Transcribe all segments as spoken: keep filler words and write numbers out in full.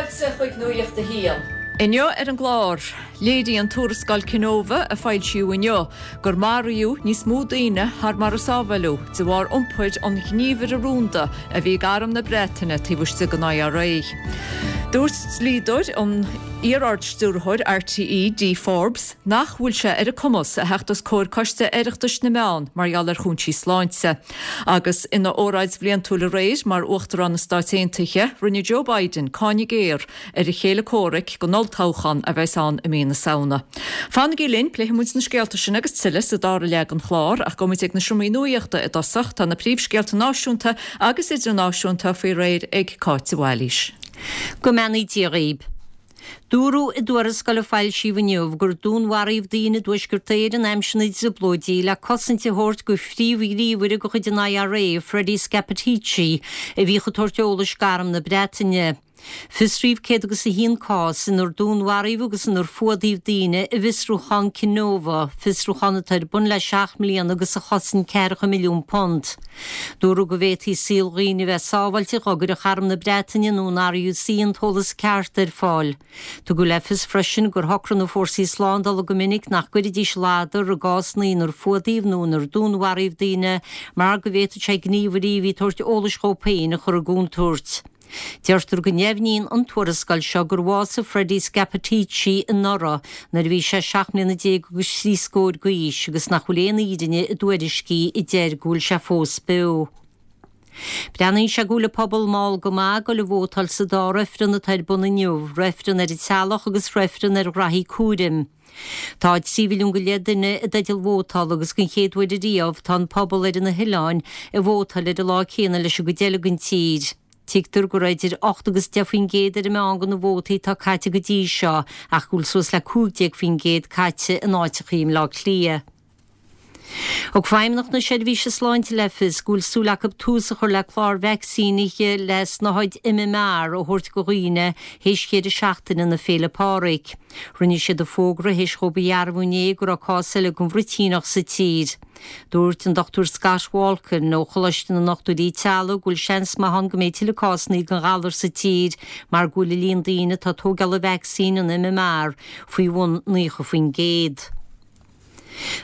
Fáilte chuig Nuacht a hAon. Inniu ar an gclár, léiríonn tuarascáil Kenova a foilsíodh inniu gur maraíodh níos mó daoine thar mar a sábháladh de bharr iompair an ghníomhaire rúnda a bhí ag arm na Breataine taobh istigh den IRA. Dúirt dlíodóir an iar-ardstiúrthóir RTÉ Dee Forbes nach bhfuil sé ar a cumas a theacht os comhair Coiste Oireachtais na Meán mar gheall ar chúinsí sláinte. Agus ina óráid bhliantúil aréir mar Uachtarán na Stát Aontaithe, rinne Joe Biden cáineadh géar ar a chéile comhraic don olltoghchán a bheas ann i mí na Samhna. Fanaigí linn pléifimid na scéalta sin agus tuilleadh sa dara leath den chlár ach gabhfaimid ag na seomraí nuachta i dtosach tá na príomhscéalta náisiúnta agus idirnáisiúnta faoi réir ag Cáit Bhailís. Go mbeannaí Dia dhaoibh. Dúradh i dtuarascáil a foilsíodh inniu gur dúnmharaíodh daoine i dTuaisceart Éireann aimsir na dTrioblóidí le cosaint a thabhairt do phríomhghníomhaire de chuid an IRA, Freddie Scappaticci, a bhíodh ag tabhairt eolais d'arm na Breataine. Fiosraíodh céad agus a haon cás inar dúnmharaíodh agus inar fuadaíodh daoine i bhfiosrúchán Kenova, fiosrúchán atá ar bun le seacht mbliana agus a chosain ceathracha milliún punt. Dúradh go bhféadfaí saol dhaoine a bheith sábháilte dá gcuirfeadh arm na Breataine nó an RUC an t-eolas ceart ar fáil. Tugadh le fios freisin gur shocraigh na fórsaí slándála go minic nach gcuirfidís ladar i gcásanna inar fuadaíodh nó inar dúnmharaíodh daoine mar go bhféadfadh sé gníomhairí a bhí ag tabhairt eolais dhóibh féin a chur i gcontúirt. Deirtear go ndeimhníonn an tuarascáil seo gur bhásaigh Freddie Scappaticci anuraidh nuair a bhí sé seacht mbliana déag agus trí scór d'aois agus nach bhfuil aon fhírinne i dtuairiscí a deir go bhfuil sé fós beo. Breathnaíonn sé go bhfuil an pobal mall go maith ag dul a vótáil sa dá reifreann atá ar bun inniu, reifreann ar an teaghlach agus reifreann ar ghraithí cúraim. Tá trí mhilliún go leith duine i dteideal vótála agus den chéad uair ariamh tá an pobal ar na hoileáin ag vótáil ar an lá céanna leis an gcuid eile den tír. Tuigtear go raibh idir ocht agus deich faoin gcéad ar an meán de na vótaí atá caite go dtí seo ach go bhfuil suas le cúig déag faoin gcéad caite in áiteachaí i mBleá Cliath. Thug Feidhmeannacht na Seirbhíse Sláinte le fios go bhfuil súil acu tús a chur le clár vacsaínithe le snáthaid MMR a thabhairt do dhaoine théis dheireadh seachtaine na Féile Pádraig. Rinne siad an fógra théis dhóibh a dhearbhú inné go raibh cás eile den bhruitíneach sa tír. Dúirt an Dr Scott Walkin ó Choláiste na nDochtúirí Teaghlaigh go bhfuil seans maith ann go mbeidh tuilleadh cásanna den ghalar sa tír mar go bhfuil an líon daoine atá ag tógáil an vacsaín an MMR faoi bhun naocha faoin gcéad.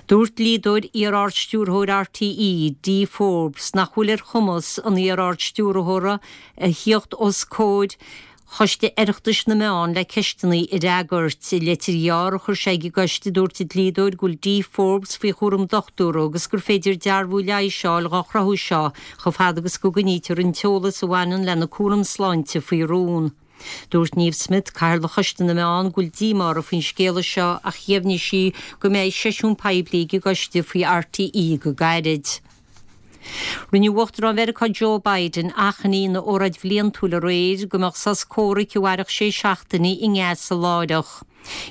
Dúirt dlíodóir iar-ardstiúrthóir RTÉ, Dee Forbes, nach bhfuil ar chumas an iar-ardstiúrthóra a theacht os comhair Choiste Oireachtais na Meán le ceisteanna a fhreagairt. I leitir ghearr a chuir sé ag an gcoiste dúirt an dlíodóir go bhfuil Dee Forbes faoi chúram dochtúra agus gur féidir dearbhú leighis a fháil dhá chruthú seo chomh fada agus go gcoinnítear an t-eolas a bhaineann lena cúram sláinte faoi rún. Dúirt Niamh Smyth, Cathaoirleach Choiste na Meán, go bhfuil díomá uirthi faoin scéala seo ach dheimhnigh sí go mbeidh seisiún poiblí ag an gcoiste faoi RTÉ go gairid. Rinne Uachtarán Mheiriceá Joe Biden achainí ina óráid bhliantúil aréir go mbeadh sos comhraic a mhairfeadh sé seachtainí i nGaza láithreach.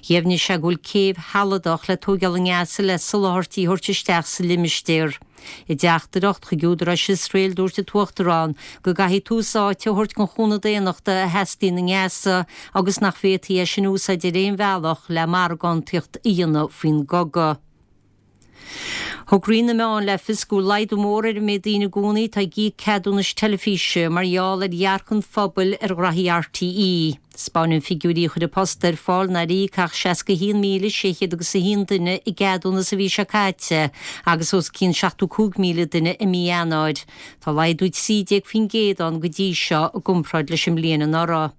Dheimhnigh sé go bhfuil céibh shealadach le tóigeáil i nGaza le soláthairtí a thabhairt isteach sa limistéar. I dteachtaireacht chuig údaráis Iosrael dúirt an tUachtarán go gcaithfidh tús áite a thabhairt don chúnamh daonnachta a theastaíonn i nGaza agus nach bhféadfaí é sin a úsáid ar aon bhealach le margántaíocht a dhéanamh faoin gcogadh. Thug Roinn na Meán le fios go bhfuil laghdú mór ar an méid daoine i gcónaí atá ag íoc ceadúnais teilifíse mar gheall ar dhearcadh an phobail ar ghraithí RTÉ. Spáineann figiúirí a chuir An Post ar fáil nár íoc ach seasca haon míle sé chéad agus a haon duine a gceadúnas an mhí seo caite agus os cionn seachtó cúig míle duine i mí Eanáir. Tá laghdú trí déag faoin gcéad ann go dtí seo i gcomparáid leis an mbliain anuraidh.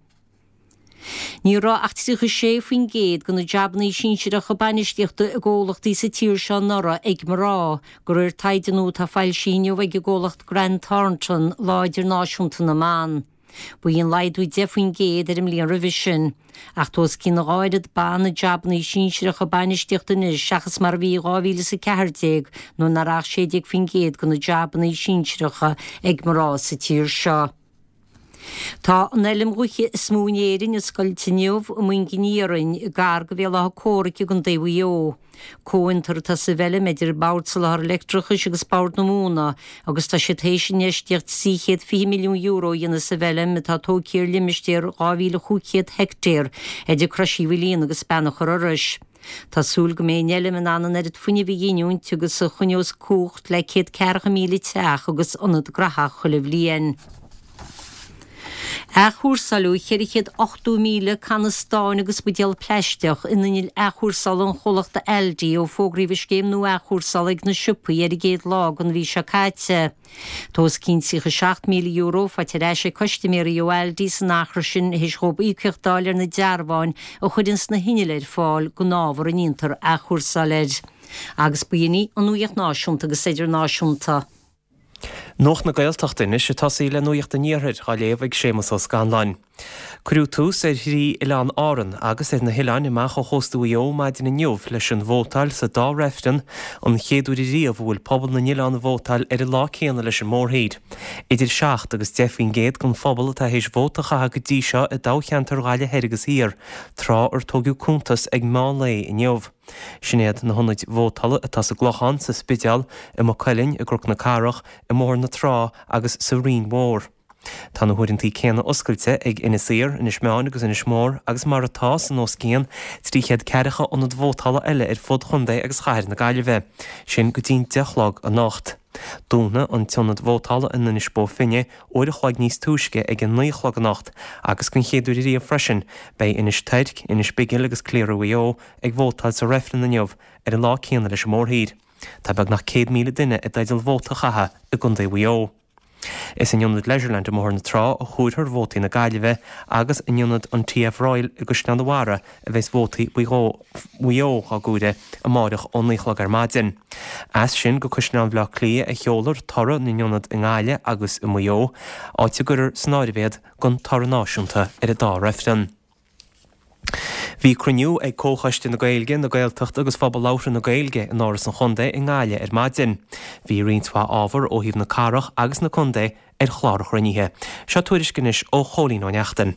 Ní raibh ach tríocha sé faoin gcéad de na jabannaí sinsearacha bainistíochta i gcomhlachtaí sa tír seo anuraidh ag mná, de réir taighde nua atá foilsithe inniu ag an gcomhlacht Grant Thornton, Lá Idirnáisiúnta na mBan. Ba í an laghdú deich faoin gcéad ar an mbliain roimhe sin. Ach tá os cionn a dhá oiread ban i jabannaí sinsearacha bainistíochta anois seachas mar a bhí i dhá mhíle is a ceathair déag nuair nach raibh ach sé déag faoin gcéad de na jabannaí sinsearacha ag mná sa tír seo. Tá an fheilm ghaoithe is mó in Éirinn oscailte inniu i Moingin Iarainn, gar do Bhéal Átha Comhraic i gContae Mhaigh Eo. Comhfhiontar atá sa bhfeilm idir Bord Soláthair Leictreachais agus Bord na Móna agus tá siad théis infheistíocht trí chéad fiche milliún euro a dhéanamh sa bhfeilm atá tógtha ar limistéar dhá mhíle chúig chéad heictéar idir Crois Uí Mhaoilíona agus Beannach an Iorrais. Tá súil go mbeidh an fheilm in ann an oiread fuinnimh a ghiniúint agus a choinneos cumhacht le céad ceathracha míle teach agus ionad graitheach chuile bhliain. Athchúrsáladh ceithre chéad ochtó míle canna stáin agus buidéal plaisteach in innill athchúrsála an chomhlachta Aldi ó fógraíodh an scéim nua athchúrsála ag na siopaí ar an gcéad lá den mhí seo caite. Tá os cionn tríocha seacht míle euro faighte ar ais ag custaiméirí ó Aldi san achar sin théis dhóibh íocaíocht a fháil ar na dearbháin a chuireanns na hinnill ar fáil don ábhar a ndéantar athchúrsáil air. Agus b'in í an nuacht náisiúnta agus idirnáisiúnta. Nuacht na Gaeltachta anois ag tosaí le Nuacht an Iarthair á léamh ag Séamus Ó Scanláin. Cuireadh tús ar thrí oileán Árann agus ar na hoileáin amach ó chósta Mhaigh Eo maidin inniu leis an vótáil sa dá reifreann, an chéad uair riamh a bhfuil pobal na n-oileán ag vótáil ar an lá céanna leis an mórthír. Idir seacht agus deich faoin gcéad den phobal atá théis vóta a chaitheamh go dtí seo i dtoghcheantar Ghaillimh Thoir agus Thiar, tráth ar tógadh cuntas ag meán lae inniu. Sin iad na hionaid vótála atá sa gClochán, sa Spidéal, i Maigh Cuilinn, i gCnoc na Cathrach, i mBóthar na Trá agus sa Rinn Mhór. Tá na huaireanta céanna oscailte ag Inis Oírr, Inis Meáin agus Inis Mór agus mar atá san os cionn trí chéad ceathracha ionad vótála eile ar fud chontae agus chathair na Gaillimhe. Sin go dtí'n deich a chlog anocht. Dúnfaidh an t-ionad vótála in Inis Bó Finne uair a chloig níos túisce ag a naoi a chlog anocht agus den chéad uair riamh freisin beidh Inis Toirc, Inis Bigil agus Cliara Mhaigh Eo ag vótáil sa reifreann inniu ar an lá céanna leis an mórthír. Tá beagnach céad míle duine i dteideal vóta a chaitheamh i gContae Mhaigh Eo. Is in Ionad Leisureland i mBóthar na Trá a chomhairfear vótaí na Gaillimhe agus in Ionad an TF Royal i gCaisleán an Bharraigh a bheas vótaí Mhaigh Eo á gcomhaireamh amárach ó naoi a chlog ar maidin. As sin go Caisleán Bhaile Átha Cliath a sheolfar toradh na n-ionad i nGaillimh agus i Maigh Eo, áit a gcuirfear san áireamh iad don toradh náisiúnta ar an dá reifreann. Bhí cruinniú ag Comhchoiste na Gaeilge, na Gaeltachta agus Phobal Labhartha na Gaeilge in Áras an Chontae i nGaillimh ar maidin. Bhí roinnt mhaith ábhar ó thaobh na cathrach agus na contae ar chlár an chruinnithe. Seo tuairisc anois ó Chóilín Ó Neachtain.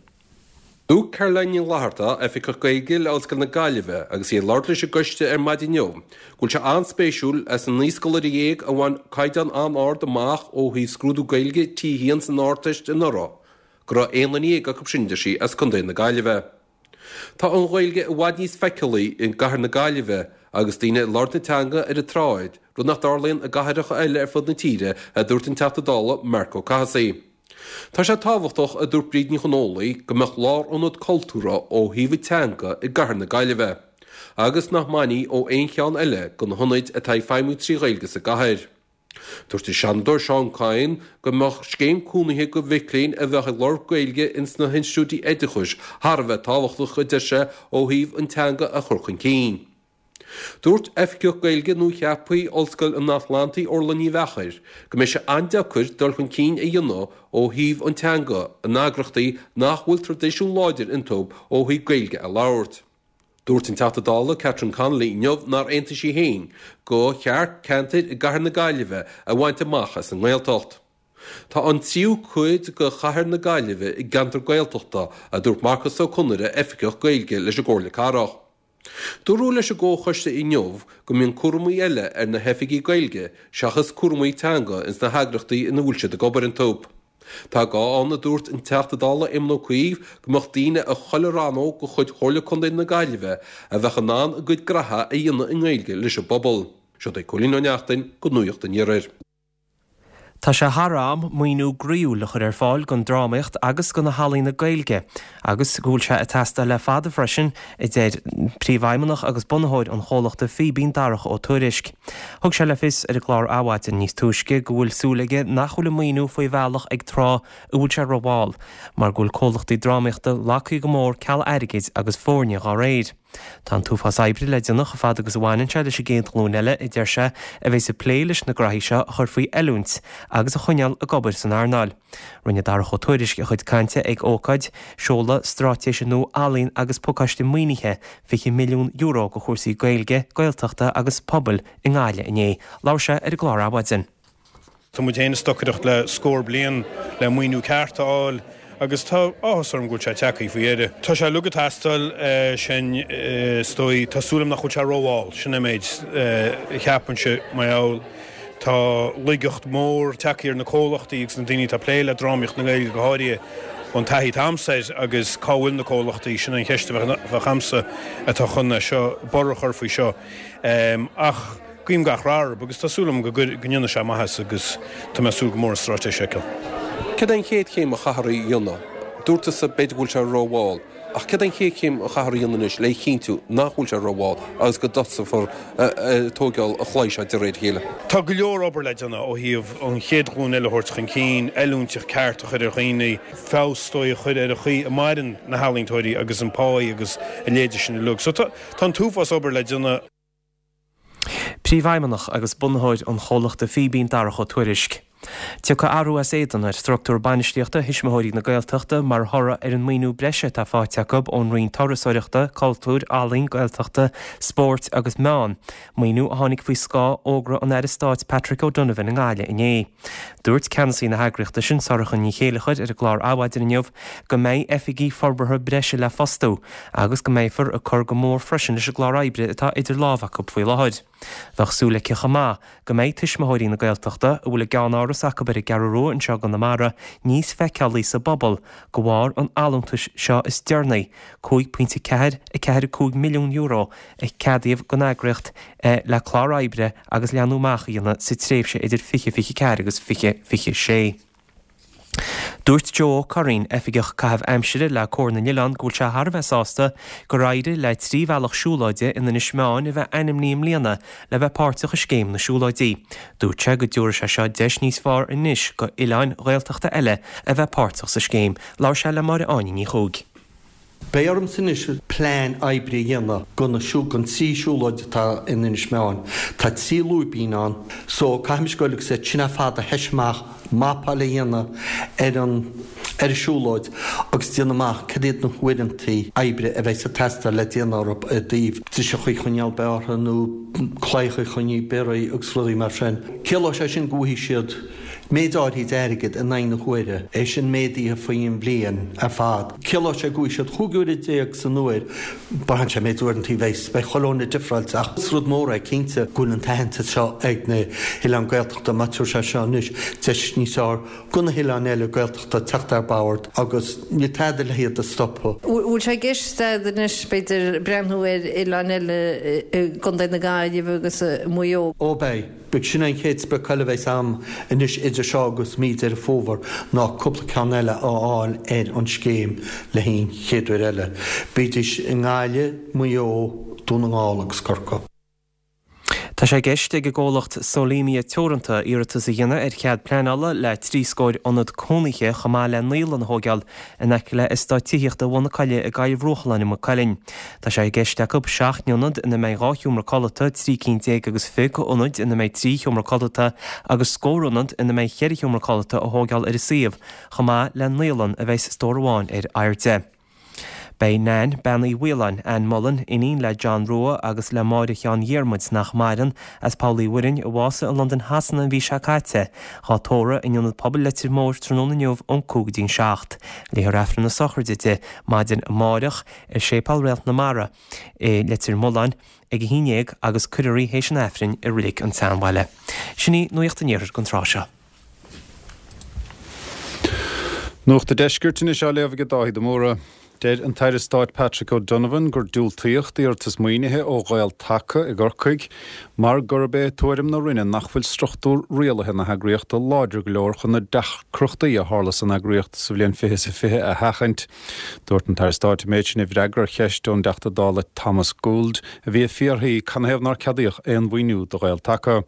Dúirt Caroline Ní Fhlatharta, Oifigeach Gaeilge le Ollscoil na Gaillimhe, agus í ag labhairt leis an gcoiste ar maidin inniu, go bhfuil sé an-spéisiúil as an naoi scoláire dhéag a bhain caighdeán an-ard amach ó thaobh scrúdú Gaeilge T a haon san Ardteist anuraidh, go raibh aon duine dhéag acu sin, deir sí, as Contae na Gaillimhe. Tá an Ghaeilge i bhfad níos feiceálaí i gcathair na Gaillimhe agus daoine ag labhairt na teanga ar an tsráid, rud nach dtarlaíonn i gcathracha eile ar fud na tíre, a dúirt an Teachta Dála Marc Ó Cathasaigh. Tá sé tábhachtach, a dúirt Bríd Ní Chonfhaola, go mbeadh lárionad cultúrtha ó thaobh an teanga i gcathair na Gaillimhe, agus nach mbainfí ó aon cheann eile de na hionaid atá ag feidhmiú trí Ghaeilge sa gcathair. Dúirt an Seanadóir Seán Kyne go mbeadh scéim cúnaithe do mhic léinn a bheadh ag lorg Gaeilge ins na hinstiúidí oideachais thar a bheith tábhachtach, a deir sé, ó thaobh an teanga a chur chun cinn. Dúirt Oifigeach Gaeilge nuacheaptha Ollscoil an Atlantaigh Orla Ní Mheachair go mbeidh sé an-deacair dul chun cinn a dhéanamh ó thaobh an teanga in eagrachtaí nach bhfuil traidisiún láidir iontu ó thaobh Gaeilge a labhairt. Dúirt an Teachta Dála Catherine Connolly inniu nár aontaigh sí féin go cheart ceantair i gcathair na Gaillimhe a bhaint amach as an nGaeltacht. Tá an tríú cuid de chathair na Gaillimhe i gceantar Gaeltachta, a dúirt Marcas Ó Conaire, Oifigeach Gaeilge leis an gComhairle Cathrach. Dúradh leis an gComhchoiste inniu go mbíonn cúramaí eile ar na hoifigigh Gaeilge seachas cúramaí teanga ins na heagrachtaí ina bhfuil siad ag obair iontu. Tá gá ann, a dúirt an Teachta Dála Éamon Ó Cuív, go mbeadh daoine i chuile rannóg de chuid Chomhairle Contae na Gaillimhe a bheadh in ann a gcuid graithe a dhéanamh i nGaeilge leis an bpobal. Seo é Cóilín Ó Neachtain do Nuacht an Iarthair. Tá sé thar am maoiniú groíúil a chur ar fáil don drámaíocht agus do na healaíona Gaeilge agus go bhfuil sé ag teastáil le fada freisin, a deir príomhfheidhmeannach agus bunaitheoir an chomhlachta Fíbín, Darach Ó Tuairisg. Thug sé le fios ar an gclár Adhmhaidin níos túisce go bhfuil súil aige nach bhfuil an maoiniú faoi bhealach ag tráth a bhfuil sé rómhall, mar go bhfuil comhlachtaí drámaíochta lagtha go mór ceal airgid agus foirne dá réir. Tá an t-uafás oibre le déanamh chomh fada agus a bhaineann sé leis an gcéad ghlúin eile, a deir sé, a bheas ag plé leis na graithí seo a chur faoi oiliúint agus a choinneáil ag obair san earnáil. Rinne Darach Ó Tuairisg a chuid cainte ag ócáid seoladh straitéise nua ealaíon agus pacáiste maoinithe fiche milliún euro do chúrsaí Gaeilge, Gaeltachta agus pobail i nGaillimh inné. Labhair sé ar an gclár Adhmhaidin. Tá muid féin ag stocaireacht le scór bliain le maoiniú ceart a fháil agus tá áthas orm go bhfuil sé tagtha faoi dheireadh. Tá sé uilig ag teastáil sin is dóigh. Tá súil agam nach bhfuil sé rómhall, sin an méid a cheapaimse mar gheall tá laigeacht mhór tagtha ar na comhlachtaí agus na daoine atá ag plé le drámaíocht na Gaeilge go háirithe ón taithí atá a'msa air agus cá bhfuil na comhlachtaí, sin an cheist a bheadh a'msa atá chun é seo, borradh a chur faoi seo. Ach guím gach rath orthu agus tá súil agam go ndéanfaidh sé maitheas agus tá mé ag súil go mór an straitéis a fheiceáil. Cad é an chéad chéim a chaithfear a dhéanamh Dúirt tusa b'fhéidir go bhfuil sé rómhall. Ach céard an chéad chéim a chaithfear a dhéanamh anois le chinntiú nach bhfuil sé rómhall agus go dtosófar tógáil an chlaí seo de réir a chéile? Tá go leor obair le déanamh ó thaobh an chéad ghlúin eile a thabhairt chun cinn, oiliúint cheart a chur ar dhaoine, feabhas is dóigh a chur ar an chaoi a maireann na healaíontóirí agus an pá agus a leithéide sin uilig. So tá an t-uafás obair le déanamh. Príomhfheidhmeannach agus bunaitheoir an chomhlachta Fíbín Darach Ó Tuairisg. Tiocfaidh athrú as éadan ar struchtúr bainistíochta Thuismitheoirí na Gaeltachta mar thoradh ar an maoiniú breise atá faighte acu ón Roinn Turasóireachta, Cultúir, Ealaíon, Gaeltachta, Spóirt agus Meán, maoiniú a tháinig faoi scáth fhógra an Aire Stáit Patrick O'Donovan i nGaillimh inné. Dúirt ceannasaí na heagraíochta sin, Sorcha Ní Chéilleachair, ar an gclár Adhmhaidin inniu go mbeidh oifigigh forbartha breise le fostú agus go mbeifear ag cur go mór freisin leis an gclár oibre atá idir lámha acu faoi láthair. Bheadh súil aici chomh maith go mbeidh Tuismitheoirí na Gaeltachta, a bhfuil a gceannáras acu ar an gCeathrú Rua anseo i gConamara, níos feiceálaí sa bpobal de bharr an allúntais seo is deireanaí, cúig pointe ceathair a ceathair cúig milliún euro, a ceadaíodh don eagraíocht le clár oibre agus leathnú amach a dhéanamh sa tréimhse idir fiche fiche ceathair agus fiche fiche sé. Dúirt Joe Ó Curraoin, Oifigeach Caitheamh Aimsire le Comhar na nOileán go bhfuil sé thar a bheith sásta gur éirigh le trí bhealach siúlóide in Inis Meáin a bheith ainmnithe i mbliana le bheith páirteach i Scéim na Siúlóidí. Dúirt sé go dtabharfaidh sé seo deis níos fearr anois go oileáin Ghaeltachta eile a bheith páirteach sa scéim. Labhair sé le Máire Áine Ní Chuaig. Beidh ormsa anois plean oibre a dhéanamh go na gon trí siúlóid atá in Inis Meáin. Tá trí lúibín ann so caithfimis goil agus iad sin ar fad a thoiseacht amach, mapáil a dhéanamh ar an ar an siúlóid agus déanamh amach cad iad na huaireantaí oibre a bheidh ag teastáil le déanamh orthu i dtaobh driseacha a choinneáil bearrtha nó claíocha a choinneáil bioraithe agus rudaí mar sin. Ciallóidh sé sin go bhfaighidh siad méid áirithe d'airgead in aghaidh na huaire, é sin méadaithe faoin bhliain ar fad. Ciallóidh sé go bhfaighidh siad chúig uaire déag san uair, braitheann sé méid uaireanta a bheidh, beidh chuile dhuine difreáilte ach is rud mór é cinnte go bhfuil an t-aitheantas seo ag na hoileáin Gaeltachta, má tabharfaidh sé seo anois deis níos fearr go na hoileáin eile Gaeltachta teacht ar bord agus níl tada le hiad a stopadh. Bhfuil sé i gceist agat anois b'fhéidir breathnú ar oileáin eile i gContae na Gaillimhe agus i Maigh Eo? Ó beidh. Beidh sin an chéad sprioc eile a bheas agam anois idir seo agus mí Deireadh Fómhair ná cúpla ceann eile a fháil ar an scéim le haghaidh an chéad uair eile. Bídís i nGaillimh, Maigh Eo, Dún na nGall agus Corcaigh. Tá sé i gceist ag an gcomhlacht Solemia Teoranta iarratas a dhéanamh ar chead pleanála le trí scór ionad cónaithe chomh maith le naíolann a thógáil in aice le eastát tithíochta Bhun na Coille i gCoill Bhruachalláin i Maigh Cuilinn. Tá sé i gceist acu seacht n-ionad ina mbeidh dhá sheomra codlata, trí cinn déag agus fiche d'ionaid ina mbeidh trí sheomra codlata agus scór ionad ina mbeidh cheithre sheomra codlata a thógáil ar an suíomh, chomh maith le naíolann a bheidh stór amháin ar airde. Beidh Nan, Bean Uí Mhaoláin, Ann Mullen, iníon le John Rua agus le Máire Sheáin Dhiarmuid nach maireann, as Poll Uí Mhuirinn, a bhásaigh i Londain Shasana an mhí seo caite, dhá tórramh in Ionad Pobail Leitir Móir tráthnóna inniu ón cúig go dtí'n seacht. Léifear Aifreann na sochraide di maidin amáireach i Séipéal Réalt na Mara i Leitir Mealláin ag a haon dhéag agus cuirfear í théis an Aifrinn i Reilig an tSeanbhaile. Sin í Nuacht an Iarthair don tráth seo. Nuacht an Deiscirt anois á léamh ag Dáithí de Mórdha. Deir an tAire Stáit Patrick O'Donovan gur diúltaíodh d'iarratas maoinithe ó Ghael Taca i gCorcaigh mar gurb é tuairim na Roinne nach bhfuil struchtúr rialaithe na heagraíochta láidir go leor chun na deacrachtaí a tharla san eagraíocht sa bhliain fiche is a fiche a sheachaint. Dúirt an tAire Stáit an méid sin i bhfreagra ar cheist ón dTeachta Dála Thomas Gould a bhí ag fiafraí canathaobh nár ceadaíodh aon mhaoiniú do Ghael Taca.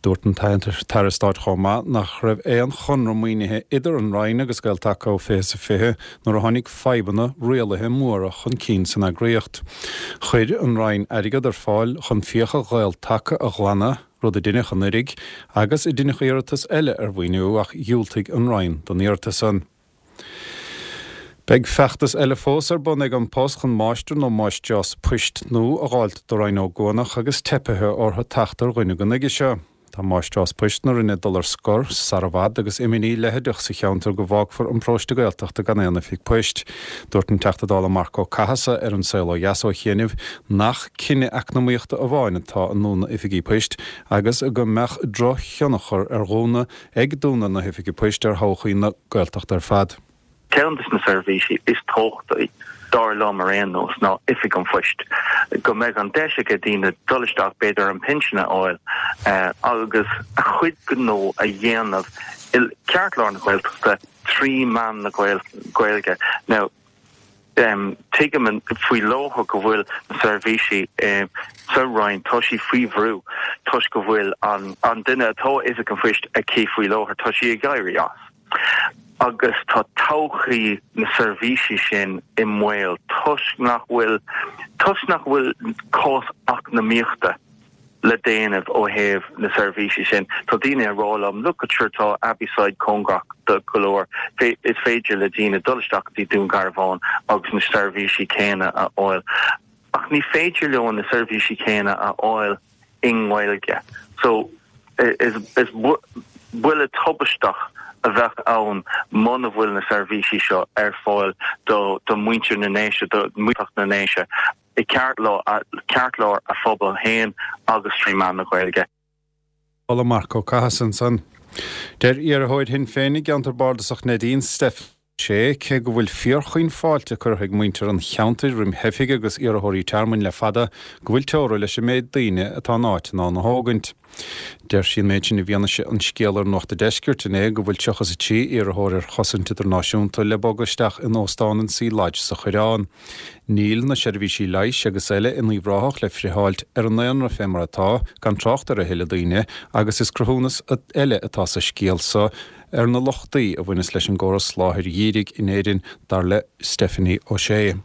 Dúirt an tAire Stáit chomh maith nach raibh aon chonradh maoinithe idir an Roinn agus Gael Taca ó fiche is a fiche nuair a tháinig fadhbanna rialaithe móra chun cinn san eagraíocht. Chuir an Roinn airgead ar fáil chun fiacha Ghael Taca a ghlanadh, rud a deineadh anuraidh, agus a deineadh iarratas eile ar mhaoiniú ach dhiúltaigh an Roinn don iarratas san. Beidh feachtas eile fós ar bun ag An Post chun máistir nó máistreás poist nua a dh'fháilt do Rinn Ó gCuanach agus teipithe orthu teacht ar dhuine go nuige seo. Tá máistreás poist na Rinne ag dul ar scor sara bhfad agus imní leitheadach sa cheantar go bhfágfar an paróiste Gaeltachta gan aon oifig poist. Dúirt an Teachta Dála Marc Ó Cathasaigh ar An Saol Ó Dheas ó chianaibh nach cinneadh eacnamaíochta amháin atá i ndúnadh oifigí poist agus go mbeadh drochthionchar ar dhúnadh ag dúnadh na hoifige poist ar thodhchaí na Gaeltachta ar fad. Ceann de na seirbhísí is tábhachtaí, dar liom ar aon nós, ná Oifig an Phoist. Go mbeidh an deis ag daoine dul isteach, b'fhéidir an pinsean a fháil agus a chuid gnó a dhéanamh i gceartlár na Gaeltachta trí mheán na Gaeilge. Now, um, tuigim faoi láthair go bhfuil na seirbhísí um, sa Roinn tá sí faoi bhrú toisc go bhfuil an, an duine atá oifig an phoist aici faoi láthair tá sí ag éirí as. Agus tá todhchaí na seirbhísí sin i mbaol toisc nach bhfuil toisc nach bhfuil cás eacnamaíochta le déanamh ó thaobh na seirbhísí sin. Tá daoine ag rá liom look sure tá Abbeyside cóngarach do go leor is féidir le daoine dul isteach dtí Dún Garbhán agus na seirbhísí céanna a fháil. Ach ní féidir leo na seirbhísí céanna a fháil i nGaeilge. So is is buille tubaisteach a bheadh ann muna bhfuil na seirbhísí seo ar fáil do do mhuintir na nDéise do mhuintir na nDéise i gceartlár a phobal féin agus trí mheán na Gaeilge. Ola Marco Cathasan san. Deir iarrthóir Shinn Féin i gceantar bardasach Neidín Stephanie O'Shea cé go bhfuil fíorchaoin fáilte curtha ag muintir an cheantair roimh theifigh agus iarrthóirí tearmainn le fada go bhfuil teora leis an méid daoine atá an áit in ann a thógaint. Deir sí an méid sin i bhfianaise an scéal ar Nuacht an Deiscirt inné go bhfuil tríocha is a trí iarrthóir ar chosaint idirnáisiúnta le bogadh isteach in óstán an Sea Lodge sa Choireán. Níl na seirbhísí leighis agus eile in Uíbh Ráthach le friotháilt ar an ndaonra fé mar atá, gan trácht ar a thuilleadh daoine, agus is cruthúnas eile atá sa scéal so ar na lochtaí a bhaineas leis an gcóras soláthair dhírigh in Éirinn, dar le Stephanie O'Shea.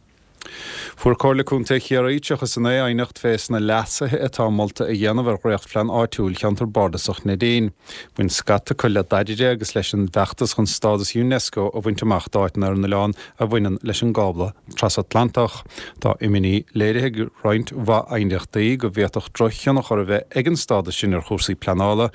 Fuair Comhairle Contae Chiarraí tríocha is a naoi aighneacht fé sna leasuithe atá molta a dhéanamh ar dhréachtphlean áitiúil Cheantar Bardasach Neidín. Bhain scata acu le daidire agus leis an bhfeachtas chun stádas Unesco a bhaint amach d'áiteanna ar an oileán a bhaineann leis an gcábla trasatlantach. Tá imní léirithe ag roinnt mhaith aighneachtaí go bhféadfadh drochthionchar a bheith ag an stádas sin ar chúrsaí pleanála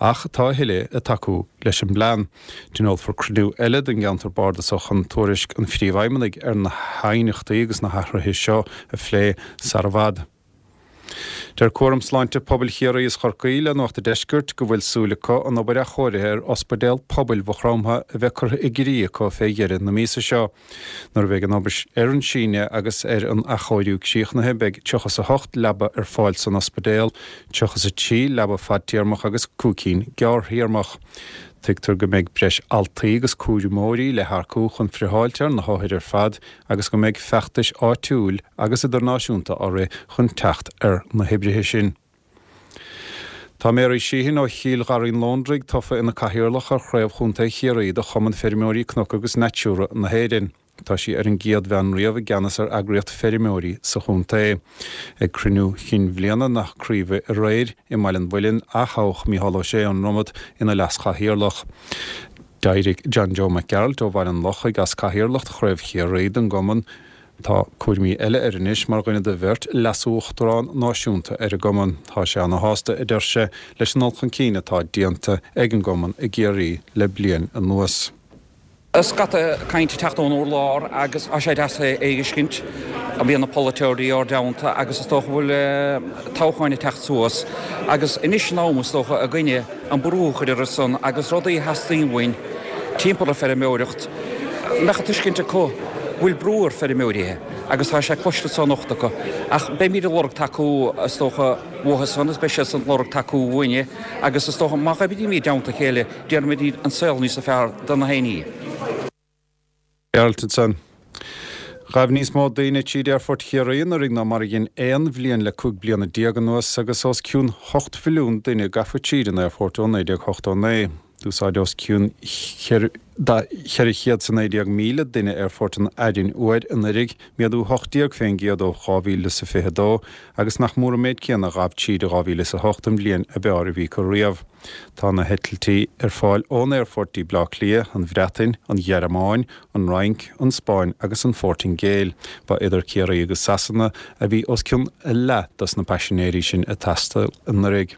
ach tá a thuilleadh ag tacú leis an bplean. Tionólfar cruinniú eile den gceantar bardasach chun tuairisc an phríomhfheidhmeannaigh ar na haighneachtaí agus na hathruithe seo a phlé sar i bhfad. Deir Cúram Sláinte Pobail Chiarraí is Chorcaí le Nuacht an Deiscirt go bhfuil súil acu an obair athchóirithe ar Ospidéal Pobail Mhaigh Chromtha a bheith curtha i gcrích acu fé dheireadh na míosa seo. Nuair a bheidh an obair ar an síneadh agus ar an athchóiriú críochnaithe beidh tríocha is a hocht leaba ar fáil san ospidéal, tríocha is a trí leaba fadtéarmach agus cúig cinn gearrthéarmach. Tuigtear go mbeidh breis altraí agus cúramóirí le hearcú chun friotháilt ar na hothair ar fad agus go mbeidh feachtais áitiúil agus idirnáisiúnta á rith chun teacht ar na hoibrithe sin. Tá Mary Sheehan ó Chill Gharraí an Lóndraigh tofa ina cathaoirleach ar Chraobh Chontae Chiarraí de Chumann Feirmeoirí Cnoc agus Natura na hÉireann. Tá sí ar an gcéad bhean riamh i gceannas ar eagraíocht feirmeoirí sa chontae. Ag cruinniú chinn bhliana na craoibhe aréir i mBaile an Mhuilinn, aththoghadh Mícheál Ó Sé ón Dromad ina leaschathaoirleach. D'éirigh John Joe Mac Gearailt ó Bhaile an Lochaigh as cathaoirleacht Chraobh Chiarraí den gcumann. Tá cúraimí eile air anois mar dhuine de bheirt leasuachtarán náisiúnta ar an gcumann. Tá sé ana-shásta, a deir sé, leis an dul chun cinn atá déanta ag an gcumann i gCiarraí le bliain anuas. Scata cainte ag teacht ón urlár agus tá sé deas é a fheiscint. Bíonn na polaiteoirí ár dteannta agus is dócha go bhfuil toghcháin ag teacht suas agus anois an am is dócha againne an brú a chur orthu san agus rudaí a theastaíonn uainn timpeall ar feirmeoireacht mbeadh an tuiscint acu go bhfuil brú ar feirmeoirithe agus tá sé cloiste anso anocht acu ach beimid ag lorg tacú is dócha uathu san agus beidh siad san ag lorg tacú uainne agus is dócha má oibrímid i dteannta a chéile déanfaimid an saol níos fearr do na héinní. Gearailt ansan. Ghabh níos mó daoine tríd Aerfort Chiarraí anuraidh ná mar a dhein aon bhliain le cúig bliana déag anuas agus os cionn hocht mhilliún duine gafa tríd an aerfort ó naoi déag ochtó naoi. D'úsáid os cionn ceithre chéad is a naoi déag míle duine Aerfort an Arainn Fhuair anuraidh, méadú hocht déag fén gcéad ó dhá mhíle is a fiche dó, agus nach mór an méid céanna a ghabh tríd i dhá mhíle is a hocht, an bhliain ab fhearr a bhí acu riamh. Tá na heitiltí ar fáil ón aerfort dtí Bleá Cliath, an Bhreatain, an Ghearmáin, an Fhrainc, an Spáinn agus an Phortaingéil. Ba idir Ciarraí agus Sasana a bhí os cionn leath dos na paisinéirí sin a taisteal anuraidh.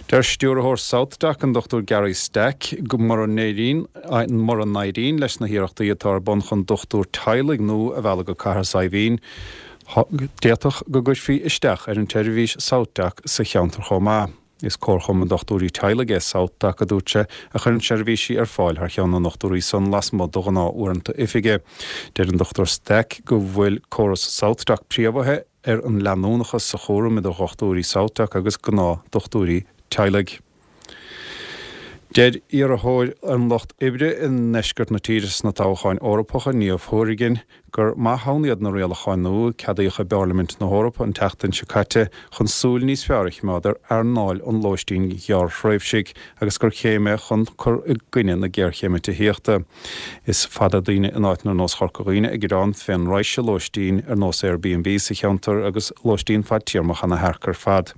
Deir Stiúrthóir SouthDoc, an Dochtúir Gary Stack, go mura n-éiríonn mura n-éiríonn leis na hiarrachtaí atá ar bun chun dochtúir teaghlaigh nua a mhealladh go Cathair Saidhbhín, d'fhéadfadh go gcuirfí isteach ar an tseirbhís SouthDoc sa cheantar chomh maith. Is comharchumann dochtúirí teaghlaigh é SouthDoc, a dúirt sé, a chuireann seirbhísí ar fáil thar cheann na ndochtúirí san lasmuigh de ghnáth-uaireanta oifige. Deir an Dochtúir Stack go bhfuil córas SouthDoc préamhaithe ar an leanúnachas sa chúram idir dhochtúirí SouthDoc agus gnáth-dhochtúirí teaghlaigh. Deir iarrthóir an Lucht Oibre i ndeisceart na tíre sna toghcháin Eorpacha, Niamh Hourigan, gur maith ann iad na rialacháin nua a ceadaíodh i bParlaimint na hEorpa an tseachtain seo caite chun súil níos fearr a choimeád ar earnáil an lóistín ghearrthréimhsigh agus gur chéim é chun cur i gcoinne na géarchéime tithíochta. Is fada daoine in áiteanna ar nós Chorca Dhuibhne ag gearán fén raidhse lóistín ar nós Airbnb sa cheantar agus lóistín fadtéarmach ana thearc ar fad.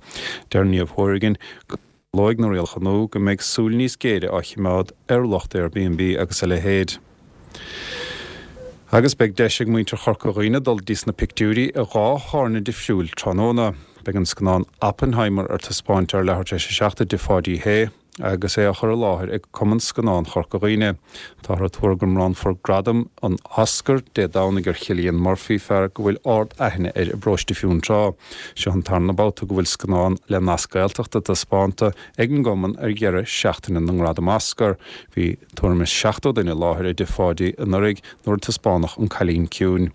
Deir Niamh Hourigan go Ciallóidh na rialacha nua go mbeidh súil níos géire á choimeád ar lucht Airbnb agus a leithéid. Agus beidh deis ag muintir Chorca Dhuibhne dul dtí sna pictiúirí i dhá thábhairne difriúil tráthnóna. Beidh an scannán Oppenheimer ar taispeáint ar leathuair tar éis a seacht i dTigh Pháidí Shé. Agus é á chur i láthair ag Cumann Scannán Chorca Dhuibhne, táthar ag tuar go mbronnfar gradam an Oscar Dé Domhnaigh ar Chillian Murphy, fear go bhfuil ard-aithne air i bparóiste Fionntrá. Seo an tarna babhta go bhfuil scannán le nasc Gaeltachta taispeánta ag an gcumann ar dheireadh seachtaine na nGradam Oscar. Bhí tuairim is seachtó duine i láthair i dTigh Pháidí anuraidh nuair a taispeánadh An Cailín Ciúin.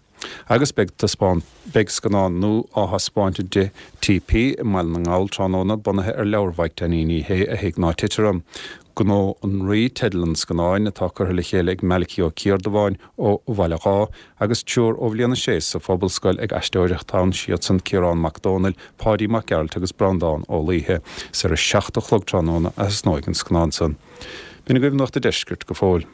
Agus beidh taispeáint, beidh scannán nua á thaispeáint i dTigh TP i mBaile na nGall tráthnóna, bunaithe ar leabhar Mhaidhc Dainín Uí Shé, A Thig Ná Tit Orm. Gnó an Rí teideal an scannáin, atá curtha le chéile ag Malachy Ó Ciardubháin ó Bhaile Dháith, agus triúr ó bhliain a sé sa Phobalscoil ag aisteoireacht ann, siadsan Ciarán Mac Dónaill, Páidí Mac Gearailt agus Breandán Ó Laoithe. Is ar a seacht a chlog tráthnóna a thosnóidh an scannán san. B'in agaibh Nuacht a' Deiscirt go fóill.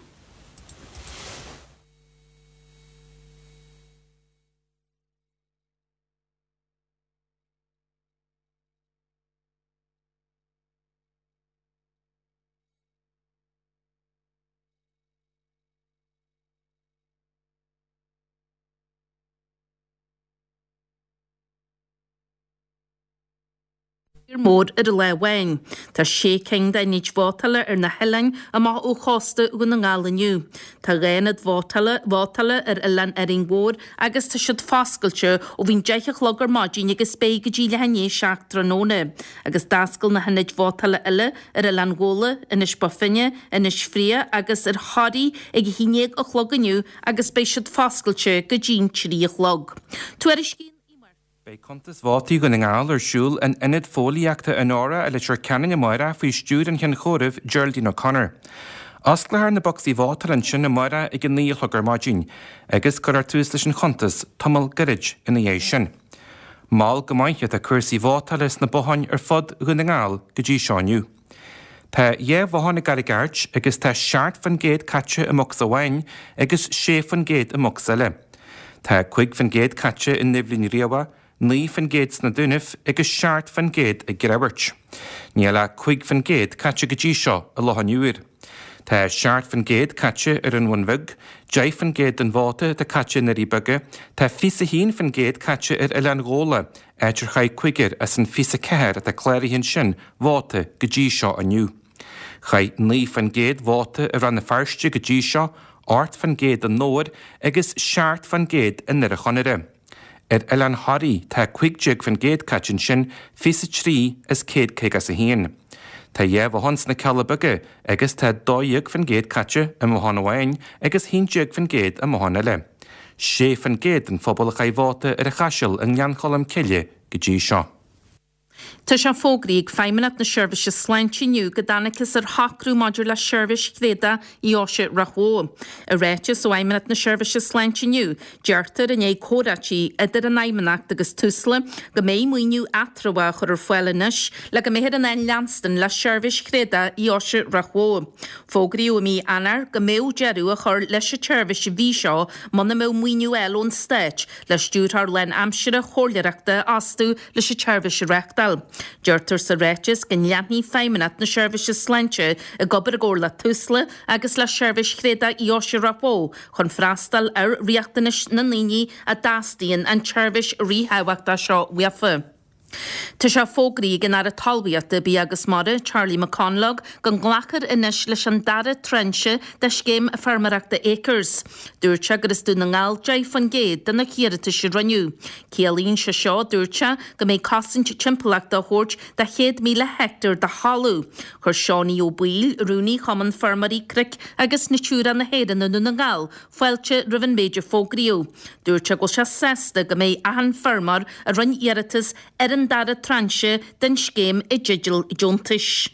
Mór ar an lá amháin. Tá sé cinn d'ionaid vótála ar na hoileáin amach ó chósta Dhún na nGall inniu. Tá dhá ionad vótála vótála ar Oileán Árainn Mhór agus tá siad foscailte ó bhí'n deich a chlog ar maidin agus beidh go dtí leath i ndiaidh a seacht tráthnóna. Agus d'oscail na hionaid vótála eile ar Oileán Ghabhla, Inis Bó Finne, Inis Fraoich agus ar Thoraigh ag a haon déag a chlog inniu agus beidh siad foscailte go dtí'n trí a chlog. Tuairiscíonn Uí Mhurchú. Beidh cuntas vótaí Dhún na nGall ar siúl in Ionad Fóillíochta Onora i Leitir Ceanainn amárach faoi stiúir an Chinn Chomhairimh, Geraldine O'Connor. Osclófar na bocsaí vótála ansin amárach ag a naoi a chlog ar maidin agus cuirfear tús leis an chuntas tamall gairid ina dhiaidh sin. Mall go maith atá cúrsaí vótála sna botháin ar fud Dhún na nGall go dtí seo inniu. Tá dhá bhothán i gCarraig Airt agus tá seacht faoin gcéad caite i mbocsa amháin agus sé faoin gcéad i mbocsa eile. Tá cúig faoin gcéad caite i nDoibhlinn Riabhach, naoi faoin gcéad sna Dúnaibh agus seacht faoin gcéad i gCreamhairt. Níl ach cúig faoin gcéad caite go dtí seo i Loch an Iúir. Tá seacht faoin gcéad caite ar an Bhun Bheag, deich faoin gcéad den vóta atá caite i nDoirí Beaga, tá fiche a haon faoin gcéad caite ar Oileán Ghabhla, áit ar chaith cúigear as an fiche a ceathair atá cláraithe ansin vóta go dtí seo inniu. Chaith naoi faoin gcéad vóta i Rann na Feirste go dtí seo, ocht faoin gcéad i nDobhar agus seacht faoin gcéad i nDoire Chonaire. Ar Oileán Thoraí tá cúig déag faoin gcéad caite ansin, fiche a trí as céad caoga is a haon. Tá dhá bhothán sna Cealla Beaga agus tá dó dhéag faoin gcéad caite i mbothán amháin agus haon déag faoin gcéad i mbothán eile. Sé faoin gcéad den phobal a chaith vóta ar an Chaiseal i nGleann Cholm Cille go dtí seo. Tá sé fógraithe ag Feidhmeannacht na Seirbhíse Sláinte inniu go dtángthas ar shocrú maidir le seirbhís thréadach Dheoise Ráth Bhoth. I ráiteas ó Fheidhmeannacht na Seirbhíse Sláinte inniu, deirtear i ndiaidh comhráití idir an Fheidhmeannacht agus Tusla go mbeidh maoiniú eatramhach á chur ar fáil anois le go mbeifear in ann leanstan le seirbhís thréadach Dheoise Ráth Bhoth. Fógraíodh i mí Eanáir go mbeadh deireadh á chur leis an tseirbhís an mhí seo muna mbeadh maoiniú á fháil ón Stát le stiúrthóir lánaimseartha chomhairleoireachta a fhostú leis an tseirbhís a reáchtáil. Deirtear sa ráiteas go leanfaidh Feidhmeannacht na Seirbhíse Sláinte ag obair i gcomhar le Tusla agus le Seirbhís Thréadach Dheoise Ráth Bhoth chun freastal ar riachtanais na ndaoine a dteastaíonn an tseirbhís ríthábhachtach seo uafa. Tá sé fógraithe ag an Aire Talmhaíochta, Bia agus Mara, Charlie McConalogue, go nglacfar anois leis an dara tráinse de scéim feirmeoireachta Acres. Dúirt sé gur as Dún na nGall deich faoin gcéad de na hiarratais a rinneadh. Ciallaíonn sé seo, dúirt sé, go mbeidh cosaint timpeallachta á thabhairt do chéad míle heicteár de thalamh. Chuir Seánie Ó Baoill, Rúnaí Chumann Feirmeoirí Cnoic agus Natura na hÉireann i nDún na nGall, fáilte roimh an méid a fógraíodh. Dúirt sé go bhfuil sé sásta go mbeidh achan feirmeoir a rinne iarratas ar an dara tráinse den scéim i dteideal deontais.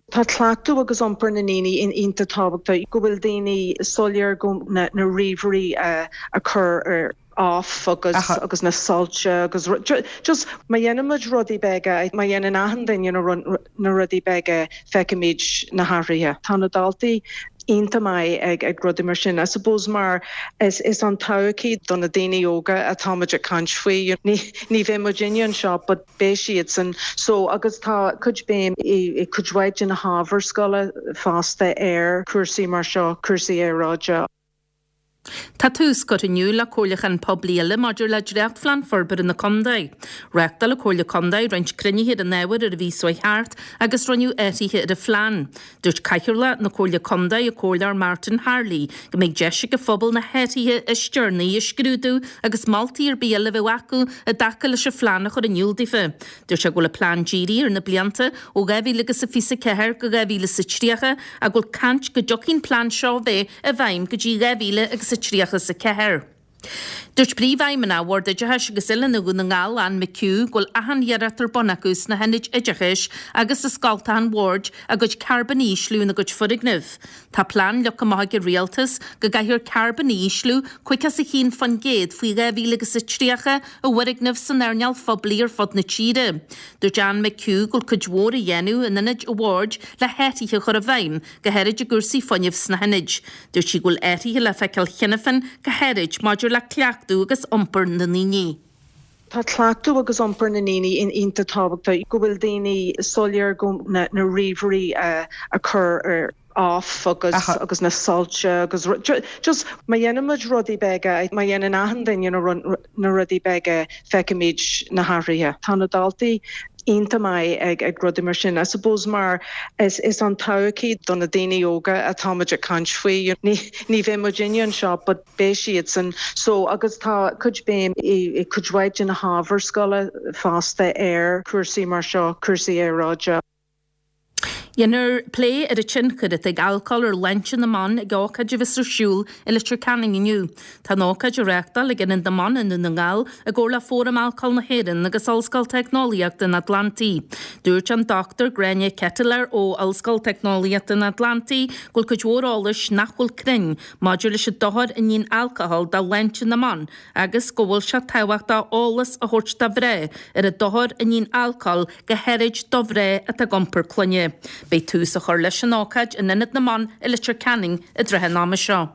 Tá cleachtadh agus iompar na ndaoine iontach tábhachtach, go bhfuil daoine soiléir go na na ríomhairí a chur ar off agus agus na soilse agus just má dhéanaimid rudaí beaga, má dhéanann achan duine na rudaí beaga feicimid na hathruithe. Tá na daltaí iontach maith ag ag rudaí mar sin. I suppose mar is is an todhchaí do na daoine óga atáimid ag caint faoi. Ní ní bheidh muidinne anseo but beidh siadsan so agus tá cuid béim i i cuid mhaith de na hábhair scoile fosta ar cúrsaí mar seo, cúrsaí aeráide. Tá tús curtha inniu le comhairliúchán poiblí eile maidir le Dréachtphlean Forbartha na Contae. Reáchtáil an Chomhairle Contae roinnt cruinnithe ar an ábhar ar an mhí seo thart agus rinneadh athruithe ar an phlean. Dúirt Cathaoirleach na Comhairle Contae, an Comhairleoir Martin Harley, go mbeidh deis ag an phobal na hathruithe is deireanaí a scrúdú agus moltaí ar bith eile a bheadh acu i dtaca leis an phlean a chur in iúl daofa. Dúirt sé go bhfuil an plean dírithe ar na blianta ó dhá mhíle agus a fiche a ceathair go dhá mhíle is a tríocha ach go bhfuil caint go dtiocfaidh an plean seo a bheith i bhfeidhm go dtí dhá mhíle agus a tríocha is a ceathair. Dúirt Príomhfheidhmeannach Bhord Oideachais agus Oiliúna Dhún na nGall, Anne McHugh, go bhfuil achan iarracht ar bun acu sna hionaid oideachais agus i scoltacha an Bhoird a gcuid carbóin a ísliú ina gcuid foirgneamh. Tá plean leagtha amach ag an Rialtas go gcaithfear carbón a ísliú caoga is a haon faoin gcéad faoi dhá mhíle agus a tríocha i bhfoirgnimh san earnáil phoiblí ar fud na tíre. Dúirt Anne McHugh go bhfuil cuid mhór á dhéanamh in ionaid an Bhoird le hathruithe a chur i bhfeidhm, go háirid i gcúrsaí fuinnimh sna hionaid. Dúirt sí go bhfuil athruithe le feiceáil cheana féin, go háirid maidir le cleachtadh agus iompar na ndaoine. Tá cleachtadh agus iompar na ndaoine iontach tábhachtach, go bhfuil daoine soiléir go na na ríomhairí a chur ar off agus agus na soilse agus just má dhéanaimid rudaí beaga, má dhéanann achan duine na rudaí beaga feicimid na hathruithe. Tá na daltaí iontach maith ag ag rudaí mar sin. I suppose mar is is an todhchaí do na daoine óga atáimid ag caint faoi. Ní ní bheidh muidinne anseo but beidh siadsan so agus tá cuid béim i i cuid mhaith de na hábhair scoile fosta ar cúrsaí mar seo, cúrsaí aeráide. Dhéanfar plé ar an tionchar atá ag alcól ar shláinte na mban ag ócáid a bheas ar siúl i Leitir Ceanainn inniu. Tá an ócáid á reáchtáil ag Ionad na mBan i nDún na nGall i gcomhar le Fóram Alcóil na hÉireann agus Ollscoil Teicneolaíochta an Atlantaigh. Dúirt an Dochtúir Gráinne Ketelaar ó Ollscoil Teicneolaíochta an Atlantaigh go bhfuil cuid mhór eolais nach bhfuil cruinn maidir leis an dochar a níonn alcól do shláinte na mban agus go bhfuil sé tábhachtach eolas a thabhairt do mhná ar an dochar a níonn alcól go háirid do mhná atá ag iompar clainne. Beidh tús á chur leis an ócáid in Ionad na mBan i Leitir Ceanainn i dtrátha an ama seo.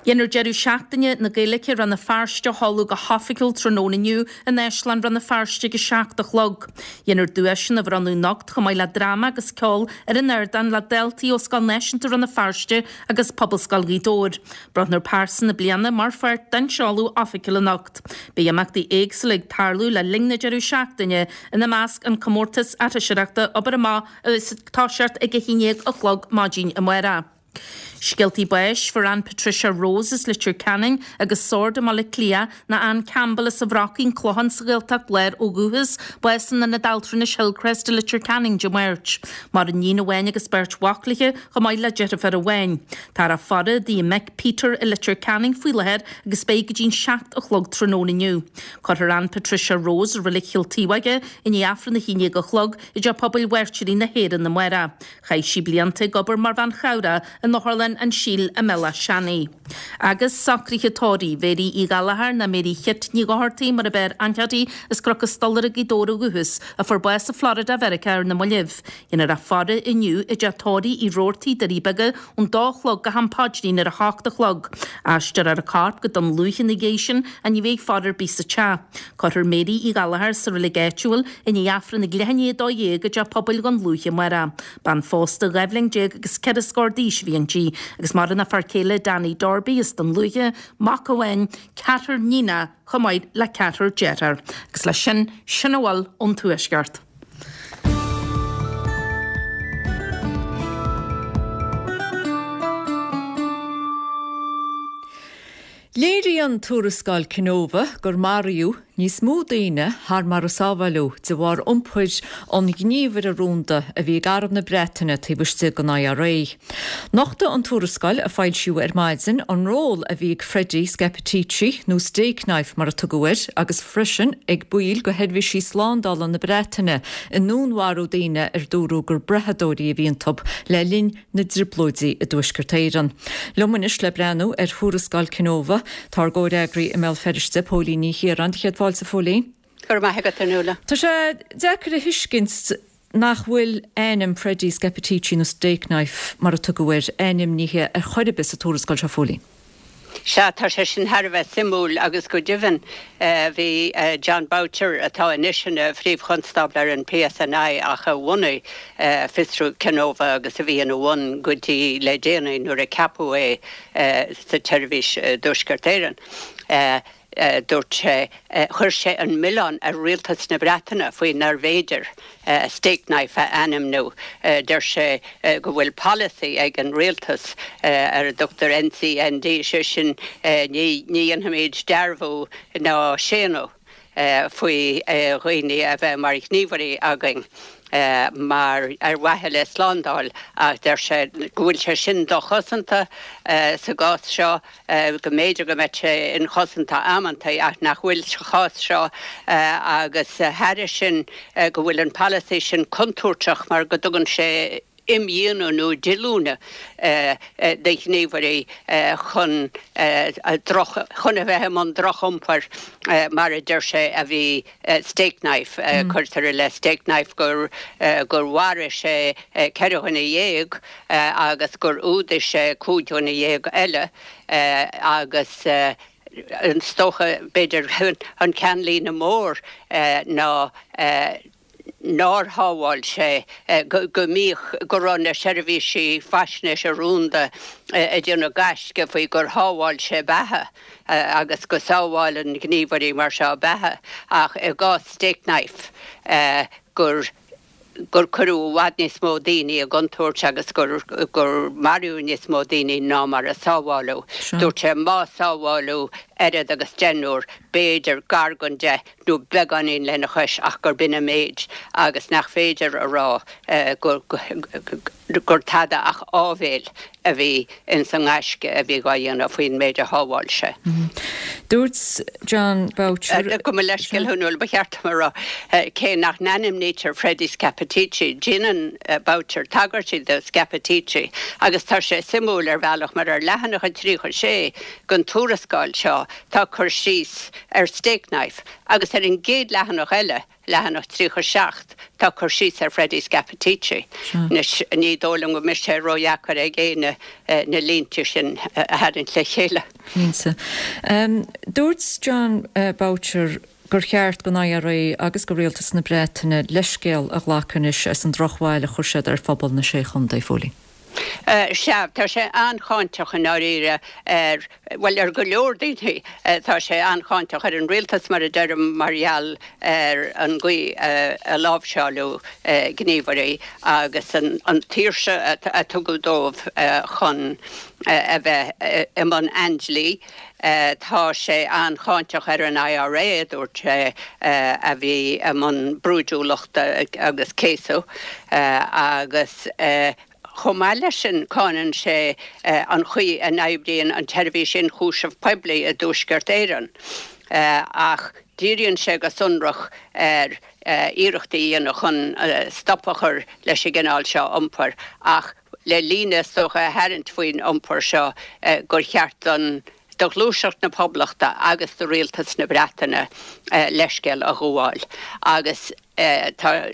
Dhéanfar deireadh seachtaine na Gaeilge i Rann na Feirste a sheoladh go hoifigiúil tráthnóna inniu in Áislann Rann na Feirste ag a seacht a chlog. Dhéanfar duaiseanna a bhronnadh anocht chomh maith le dráma agus ceol ar an ardán le daltaí ó Scoil Náisiúnta Rann na Feirste agus Pobalscoil Ghaoth Dobhair. Bronnfar Pearsa na Bliana mar pháirt den seoladh oifigiúil anocht. Beidh imeachtaí éagsúla ag tarlú le linn na deireadh seachtaine, ina measc an comórtas aithriseoireachta Obair Amach a bheas ag toiseacht ag a haon déag a chlog maidin amárach. Scéaltaí báis, Fuair Ann Patricia Rose as Leitir Ceanainn agus Sord i mBaile Átha Cliath ná Ann Campbell as an Bhrocaín, An Clochán sa Ghaeltacht Láir ó dhúchas, bás in Ionad Altranais Hillcrest i Leitir Ceanainn Dé Máirt. Maireann iníon amháin agus beirt mhac léi, chomh maith le deirfiúr amháin. Táthar á faire i dtigh a mic Peter i Leitir Ceanainn faoi láthair agus beidh go dtí'n seacht a chlog tráthnóna inniu. Cuirfear Ann Patricia Rose i Reilig Chill Taobhóige i ndiaidh Aifreann a haon déag a chlog i dTeach Pobail Mhairtírí na hÉireann amárach. Chaith sí blianta ag obair mar bhean chabhrach in Otharlann an tSíl i mBealach Seanaidh. Agus socruithe tórraimh Mhéirí Uí Ghallchóir ná Mary Chit Ní Dhochartaigh mar ab fhearr aithne uirthi as Cnoc an Stolaire Gaoth Dobhair ó dhúchas, a fuair bás i Florida Mheiriceá ar na mallaibh. Dhéanfar a faire inniu i dteach tórraimh Uí Robhartaigh, Doirí Beaga, ón dó a chlog go ham paidrín ar a hocht a chlog. Aistreofar a corp go Dún Lúiche ina dhiaidh sin ach ní bheidh faire ar bith sa teach. Cuirfear Mary Uí Ghallchóir sa reilig áitiúil i ndiaidh Aifreann ag leath i ndiaidh a dó dhéag i dTeach Pobail Dhún Lúiche amárach. Bean phósta dhá bhliain déag agus ceithre scór d'aois a bhí inti, agus maireann a fear céile Danny Darby as Dún Lúiche, mac amháin, ceathrar níonacha chomh maith le ceathrar dearthár. Agus leis sin, sin a bhfuil ón Tuaisceart. Léiríonn tuarascáil Kenova gur maraíodh níos mó daoine thar mar a sábháileadh de bharr iompair an ghníomhaire rúnda a bhí ag Arm na Breataine taobh istigh den I R A. Nochtadh an tuarascáil a foilsíodh ar maidin an ról a bhí ag Freddie Scappaticci, nó Stakeknife mar a tugadh air, agus freisin ag baill de sheirbhísí slándála na Breataine i ndúnmharú daoine ar dúradh gur brathadóirí a bhí iontu le linn na dtrioblóidí i dTuaisceart Éireann. Liom anois le breathnú ar thuarascáil Kenova tá ár gcomhfhreagraí i mBéal Feirste, Póilín Ní Chiaráin. Céad fáilte, Phóilín. Go raibh maith agat, a Nuala. Tá sé deacair a thuiscint nach bhfuil ainm Freddie Scappaticci nó Stakeknife mar a tugadh air ainmnithe ar chor ar bith sa tuarascáil seo, Phóilín. Sea, tá sé sin thar a bheith suimiúil agus go deimhin bhí Jon Boutcher atá anois ina phríomhchonstábla ar an P S N I ach a bhunaigh fiosrú Kenova agus a bhí ina bhun go dtí le déanaí nuair a ceapadh é sa tseirbhís i dTuaisceart Éireann. Dúirt sé chuir sé an milleán ar rialtas na Breataine faoi nárbh fhéidir Stakeknife a ainmniú. Deir sé go bhfuil polasaí ag an rialtas ar a dtugtar N C N D, sé sin ní ní dhéanfaimid dearbhú ná séanadh faoi dhaoine a bheith mar ghníomhairí againn. Mar ar mhaithe le slándáil, ach deir sé go bhfuil sé sin dochosanta sa gcás seo, go mb'fhéidir go mbeadh sé inchosanta amantaí ach nach bhfuil sa chás seo, agus thairis sin go bhfuil an polasaí sin contúirteach mar go dtugann sé imdhíonadh nó díolúine do ghníomhairí chun droch chun a bheith i mbun drochiompair mar a deir sé a bhí Stakeknife. Cuirtear i leith Stakeknife gur gur mharaigh sé ceithre dhuine dhéag agus gur fhuadaigh sé cúig dhuine dhéag eile, agus is dócha b'fhéidir an ceannlíne mór ná nár shábháil sé, go mbíodh go raibh na seirbhísí faisnéise rúnda ag déanamh gaisce faoi gur shábháil sé beatha agus go sábhálann gníomhairí mar seo beatha, ach i gcás Stakeknife gur gur cuireadh i bhfad níos mó daoine i gcontúirt agus gur gur maraíodh níos mó daoine ná mar a sábháladh. Dúirt sé má sábháladh oiread agus deichniúr, b'fhéidir gar don deich nó beagáinín lena chois, ach gur b'in an méid agus nach féidir a rá gur gur tada ach áibhéil a bhí ins an ngaisce a bhí á dhéanamh faoin méid a shábháil sé. Dúirt Jon Boutcher Gabh mo leithscéal, a Nuala, ba cheart dom a rá cé nach n-ainmnítear Freddie Scappaticci, déanann Boutcher tagairtí do Scappaticci, agus tá sé suimiúil ar bhealach mar ar leathanach a tríocha sé den tuarascáil seo tá cur síos ar Stakeknife agus ar an gcéad leathanach eile, leathanach tríocha seacht, tá cur síos ar Freddie Scappaticci. Anois ní dóigh liom go mbeidh sé ródheacair ag éinne na línte sin a tharraingt le chéile. Cinnte. Dúirt Jon Boutcher gur cheart don I R A agus do rialtas na Breataine leithscéal a ghlacadh anois as an drochbhail a chuir siad ar phobal na Sé Chontae, Phóilín. Sea, tá sé an-cháinteach i ndáiríre ar, bhuel, ar go leor daoine. Tá sé an-cháinteach ar an rialtas, mar a deirim, mar gheall ar an gcaoi a láimhseáladh gníomhairí agus an tsaoirse a tugadh dóibh chun a bheith i mbun aindlí. Tá sé an-cháinteach ar an I R A, a dúirt sé, a bhí i mbun brúidiúlachta agus céasadh agus. Chomh maith leis sin, cáineann sé an chaoi a n-oibríonn an tSeirbhís Ionchúiseamh Poiblí i dTuaisceart Éireann, ach díríonn sé go sonrach ar iarrachtaí a dhéanamh chun stop a chur leis an gcineál seo iompair, ach le líne is dócha a tharraingt faoin iompar seo gur cheart don do Ghluaiseacht na Poblachta agus do Rialtas na Breataine leithscéal a ghabháil. Agus tá.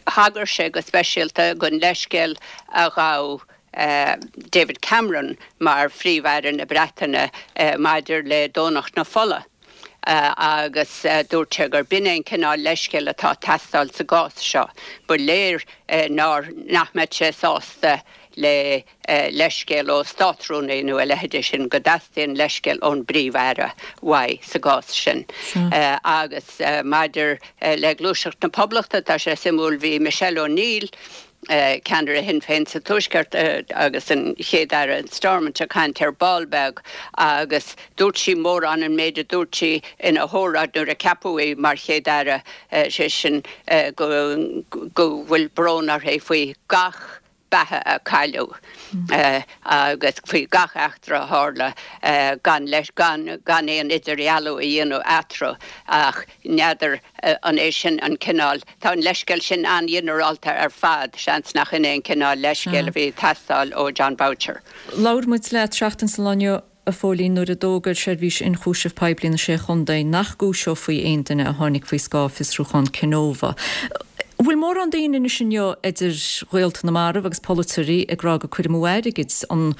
Thagair sé go speisialta don leithscéal a ghabh David Cameron mar Phríomh-Aire na Breataine maidir le Domhnach na Fola agus dúirt sé gur b'in é an cineál leithscéil atá ag teastáil sa gcás seo. Ba léir nár nach mbeadh sé sásta le leithscéal ó Státrúnaí nó a leithéide sin, go dteastaíonn leithscéal ón bPríomh-Aire uaidh sa gcás sin. Agus maidir le Gluaiseacht na Poblachta, tá sé suimiúil, bhí Michelle O'Neill, Ceannaire Shinn Féin sa Tuaisceart agus an Chéad-Aire in Stormont ag caint ar ball beag agus dúirt sí mórán an méid a dúirt sí ina hóráid nuair a ceapadh í mar Chéad-Aire, sé sin go bhfuil brón uirthi faoi gach beatha a cailleadh agus faoi gach eachtra a tharla gan leis gan gan aon idirdhealú a dhéanamh eatarthu ach n'fheadar an é sin an cineál tá an leithscéal sin an-ghinearálta ar fad, seans nach in é an cineál leithscéil a bhí ag teastáil ó Jon Boutcher. Labhair muid leat seachtain sa lá inniu. A Phóilín, nuair a d'fhógair Seirbhís Ionchúiseamh Poiblí na Sé Chontae nach gcúiseofaí aon duine a tháinig faoi scáth fiosrúchán Kenova. An bhfuil mórán daoine anois inniu, idir ghaolta na marbh agus polaiteoirí, ag rá gur cur amú airgid an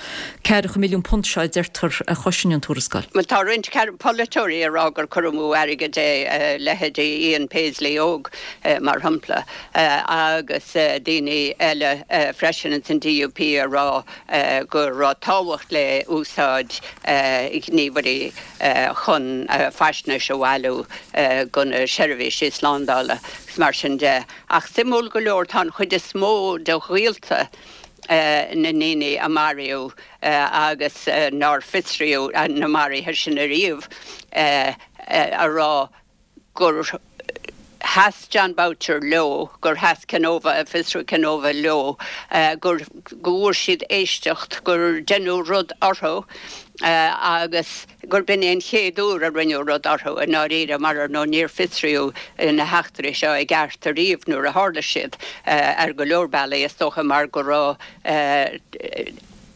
ceathracha milliún punt seo a deirtear a chosain an tuarascáil? Bhuel, tá roinnt polaiteoirí ag rá gur cur amú airgid é, leithéidí Ian Paisley óg, mar shampla, agus daoine eile freisin ins an DUP ag rá go raibh tábhacht le úsáid gníomhairí chun faisnéis a bhailiú do na seirbhísí slándála agus mar sin de. Ach suimiúil go leor, tá an chuid is mó de ghaolta na ndaoine a maraíodh agus nár fiosraíodh na maruithe sin ariamh ag rá gur sheas Jon Boutcher leo, gur sheas Kenova, Fiosrú Kenova leo, gur go bhfuair siad éisteacht, gur deineadh rud orthu agus gur b'in é an chéad uair a rinneadh rud orthu i ndáiríre mar ar ndóigh níor fiosraíodh na heachtraí seo i gceart ariamh nuair a tharla siad ar go leor bealaí is dócha mar go raibh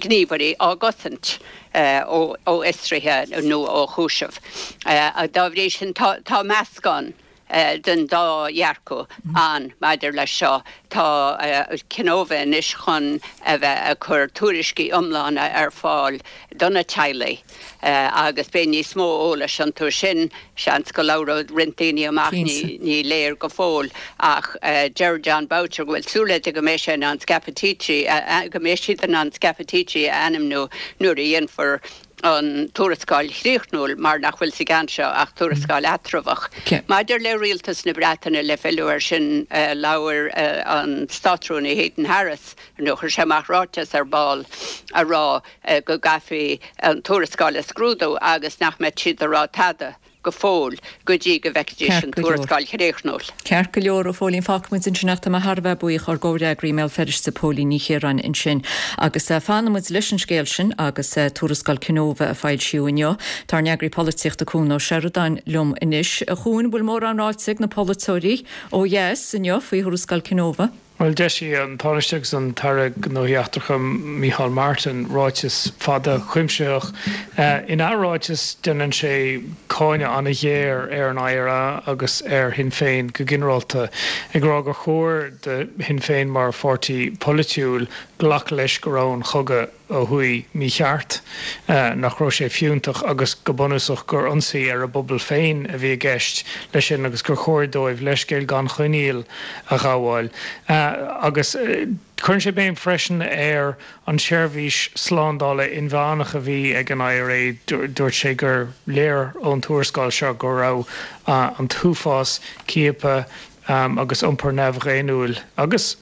gníomhairí á gcosaint ó fhiosruithe nó ó chúiseamh. Dá bhrí sin tá meascán den dá dhearcadh ann maidir leis seo. Tá Kenova anois chun a bheith ag cur tuairiscí iomlána ar fáil do na teaghlaigh agus beidh níos mó eolais iontu sin. Seans go labhróidh roinnt daoine amach, ní léir go fóill, ach deir Jon Boutcher go bhfuil súil aige go mbeidh sé in ann Scappaticci, go mbeidh siad in ann Scappaticci a ainmniú nuair a dhéanfar an tuarascáil chríochnúil mar nach bhfuil sa gceann seo ach tuarascáil eatramhach. Maidir le Rialtas na Breataine, le filleadh air sin, labhair an Státrúnaí Heaton Harris, nó chuir sé amach ráiteas ar ball ag rá go gcaithfí an tuarascáil a scrúdú agus nach mbeadh siad ag rá tada go fóill go dtí go bhfeicfidís an tuarascáil chríochnúil. Ceart go leor, a Phóilín, fágfaidh muid ansin ach tá mé thar a bheith buíoch ár gcomhfhreagraí i mBéal Feirste, Póilín Ní Chiaráin ansin. Agus fanfaidh muid leis an scéal sin agus tuarascáil Kenova a foilsíodh inniu. Tá ár n-eagraí polaitíochta Cuan Ó Seireadáin liom anois. A Chuain, bhfuil mórán ráite ag na polaiteoirí ó dheas inniu faoi thuarascáil Kenova? Bhuel, d'eisigh an Tánaiste agus an tAire Gnóthaí Eachtracha Micheál Martin ráiteas fada cuimsitheach. Ina ráiteas déanann sé cáineadh an-ghéar ar an IRA agus ar Shinn Féin go ginearálta, ag rá gur chóir do Shinn Féin mar pháirtí polaitiúil glacadh leis go raibh an chogadh ó thuaidh mícheart, nach raibh sé fiúntach agus go bunúsach gur ionsaí ar a bpobal féin a bhí i gceist leis sin agus gur chóir dóibh leithscéal gan choinníoll a ghabháil. Agus cuireann sé béim freisin ar an tseirbhís slándála inmheánach a bhí ag an IRA. Dúirt sé gur léir ón tuarascáil seo go raibh an t-uafás ciapadh agus iompar neamhdhaonnúil agus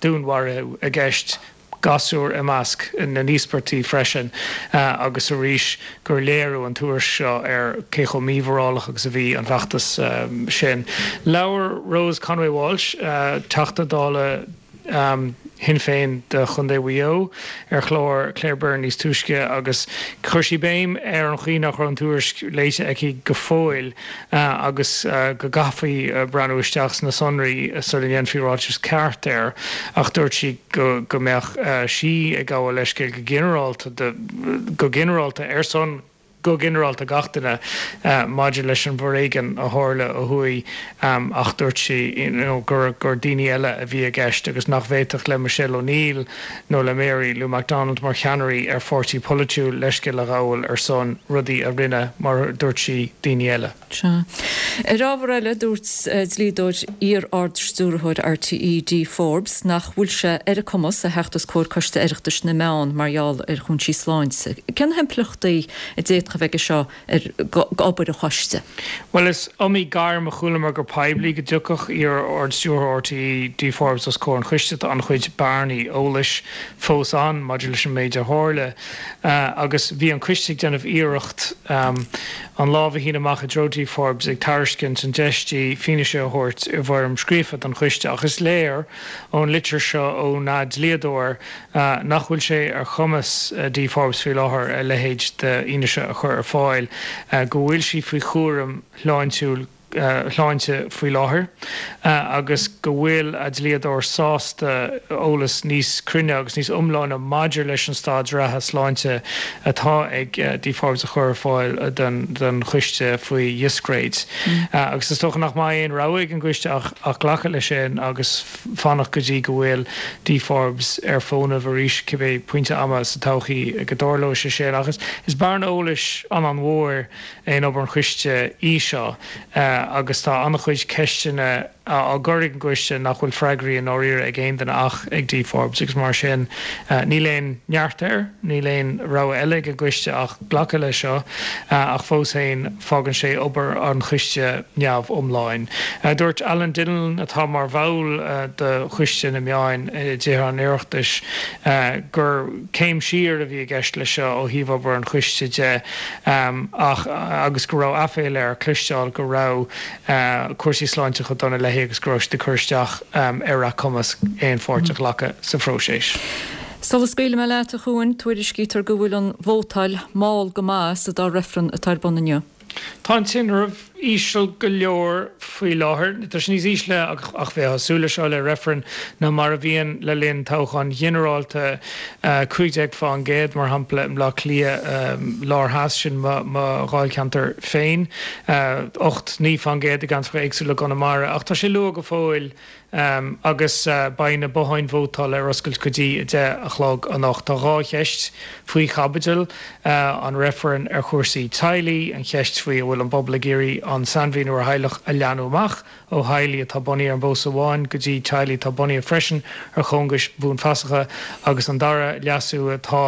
dúnmharuithe i gceist, gasúir i measc na n-íospartach freisin, agus arís gur léiriú an tuairisc seo ar cé chomh mímhorálach agus a bhí an feachtas sin. Labhair Rose Conway Walsh, Teachta Dála Shinn Féin do Chontae Mhaigh Eo, ar chlár Claire Byrne níos túisce agus chuir sí béim ar an chaoi nach raibh an tuairisc léite aici go fóill agus go gcaithfí breathnú isteach sna sonraí sula ndéanfaí ráiteas ceart air ach dúirt sí go go mbeadh sí ag gabháil leithscéil go ginearálta go ginearálta ar son go ginearálta gach duine maidir leis an bhforéigean a tharla ó thuaidh ach dúirt sí gur gur daoine eile a bhí i gceist agus nach bhféadfadh le Michelle O'Neill nó le Mary Lou McDonald mar cheannairí ar pháirtí polaitiúil leithscéal a ghabháil ar son rudaí a rinne, mar a dúirt sí, daoine eile. Sea. Ar ábhar eile, dúirt dlíodóir iar-Ard-Stiúrthóir RTÉ, Dee Forbes, nach bhfuil sé ar a cumas a theacht os comhair Coiste Oireachtais na Meán mar gheall ar chúinsí sláinte. Cén na himpleachtaí a d'fhéadfadh a bheidh aige seo ar obair an choiste? Bhuel, is iomaí gairm a chualamar go poiblí go dtiocfadh iar-Ardstiúrthóir RTÉ, Dee Forbes os comhair an choiste. Tá an-chuid bearnaí eolais fós ann maidir leis an méid a tharla agus bhí an coiste ag déanamh iarracht an lámh a shíneadh amach i dtreo Dee Forbes ag tairiscint an deis di fianaise a thabhairt i bhfoirm scríofa don choiste ach is léir ón litir seo óna dlíodóir nach bhfuil sé ar chumas Dee Forbes faoi láthair a leithéid d'fhianaise a chur ar fáil, go bhfuil sí faoi chúram shláintiúil shláinte faoi láthair agus go bhfuil a dlíodóir sásta eolas níos cruinne agus níos iomláine maidir leis an staid reatha sláinte atá ag Dee Forbes a chur ar fáil don choiste faoi dhiscréid. Agus is dócha nach mbeidh aon rogha ag an gcoiste ach glacadh leis sin agus fanacht go dtí go bhfuil Dee Forbes ar fónamh arís, cibé pointe ama sa todhchaí go dtarlóidh sé sin. Ach is bearna eolais an-mhór in obair an choiste í seo. agus tá an-chuid ceisteanna á gcur ag an gcoiste nach bhfuil freagraí i ndáiríre ag aon duine ach ag Dee Forbes agus mar sin níl aon neart air, níl aon rogha eile ag an gcoiste ach glacadh leis seo ach fós féin fágann sé obair an choiste neamhiomlán. Dúirt Alan Dillon atá mar bhall de Choiste na Meán i dTithe an Oireachtais gur céim siar a bhí i gceist leis seo ó thaobh obair an choiste de ach agus go raibh aiféala air cloisteáil go raibh cúrsaí sláinte chomh dona léi agus go raibh siad ag cur isteach ar a cumas aon pháirt a ghlacadh sa phróiseas. Sula scaoilfidh mé leat, a Chuain, tuairiscítear go bhfuil an vótáil mall go maith sa dá reifreann atá ar bun inniu. Tá an tinreamh íseal go leor faoi láthair. Tá sé níos ísle, ach bheifeá ag súil leis seo le reifreann, ná mar a bhíonn le linn toghcháin ghinearálta, cúig déag fán gcéad, mar shampla, i mBleá Cliath Lár Theas, sin mo dháilcheantar féin, ocht, naoi fán gcéad i gceantracha éagsúla i gConamara. Ach tá sé luath go fóill agus beidh na botháin vótála ar oscailt go dtí a deich a chlog anocht. Tá dhá cheist faoi chaibidil, an reifreann ar chúrsaí teaghlaigh, an cheist faoi an bhfuil an pobal ag iarraidh an sainmhíniú ar theaghlach a leathnú amach ó theaghlaigh atá bunaithe ar an bpósadh amháin go dtí teaghlaigh atá bunaithe freisin ar chóngais bhuanfheasacha agus an dara leasú atá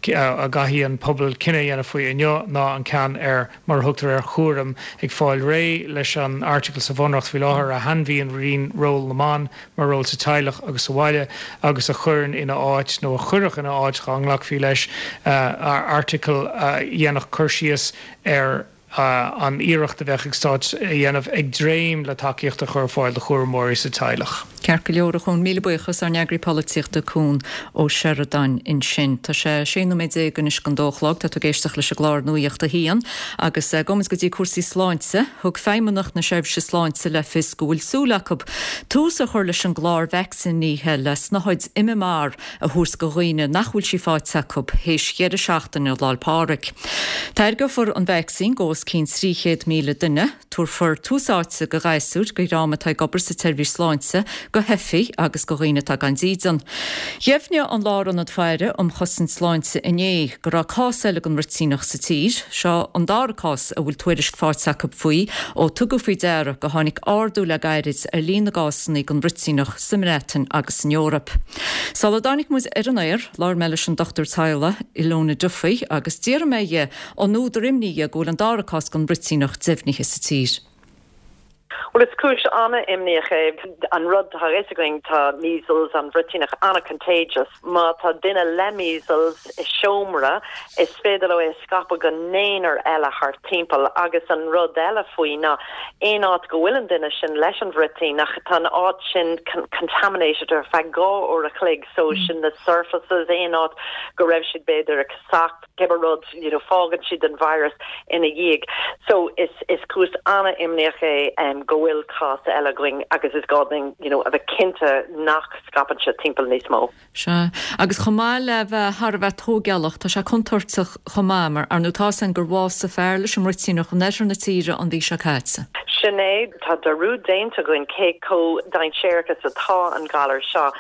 a gcaithfidh an pobal cinneadh a dhéanamh faoi inniu ná an ceann ar mar a thugtar air chúram ag fáil réidh leis an airteagal sa Bhunreacht faoi láthair a shainmhíníonn ról na mban mar ról sa teaghlach agus sa bhaile agus a chuireann ina áit nó a chuirfeadh ina áit dá nglacfaí leis airteagal a dhéanfadh cur síos ar an iarracht a bheadh ag stáit a dhéanamh ag dréim le tacaíocht a chur ar fáil do chúramóirí sa teaghlach. Ceart go leor, a Chuain, míle buíochas, ár n-eagraí polaitíochta Cuan Ó Seireadáin ansin. Tá sé sé nóiméad déag anois don dó a chlog, tá tú ag éisteacht leis an gclár Nuacht a hAon agus gabhfaidh muid go dtí cúrsaí sláinte. Thug Feidhmeannacht na Seirbhíse Sláinte le fios go bhfuil súil acu tús a chur leis an gclár vacsaínithe le snáthaid MMR a thabhairt do dhaoine nach bhfuil sí faighte acu théis dheireadh seachtaine Lá'l Pádraig. Tairgeofar an vacsaín go os cionn trí chéad míle duine. Tabharfar tús áite do ghasúir, do dhream atá ag obair sa tseirbhís sláinte, do theifigh agus do dhaoine atá gan dídean. Dheimhnigh an Lárionad Faire um Chosaint Sláinte inné go raibh cás eile den bhruitíneach sa tír. Seo an dara cás a bhfuil tuairisc faighte acu faoi ó tugadh faoi deara go tháinig ardú le gairid ar líon na gcásanna den bhruitíneach sa mBreatain agus san Eoraip. Sula dtáinig muid ar an aer, labhair mé leis an dochtúir teaghlaigh Ilona Duffy agus d'fhiafraigh mé dhe an údar imní é go bhfuil an dara cás den bhruitíneach deimhnithe sa tír. Bhuel is cúis an-imníoch é an rud tá fhios againn tá measles an bhruitíneach an-contagious. Má tá duine le measles i seomra is féidir leo é a scaipeadh go naonúr eile thart timpeall agus an rud eile faoi ná aon áit go bhfuil an duine sin leis an bhruitíneach tá an áit sin contaminated ar feadh dhá uair a chloig so sin na surfaces aon áit go raibh siad b'fhéidir ag casacht cibé rud you know fágann siad an virus ina dhiaidh. So is is cúis an-imníoch é um, go bhfuil cás eile againn agus is gá dúinn you know, a bheith cinnte nach scaipeann sé timpeall níos mó. Sea, agus chomh maith le bheith thar a bheith tóigealach, tá sé contúirteach chomh maith mar ar ndóigh tá a fhios againn gur bhásaigh fear leis an mbruitíneach in oirthear na tíre an mhí seo caite. Sin é, tá dearúd déanta againn cé chomh dainséarach is atá an galar seo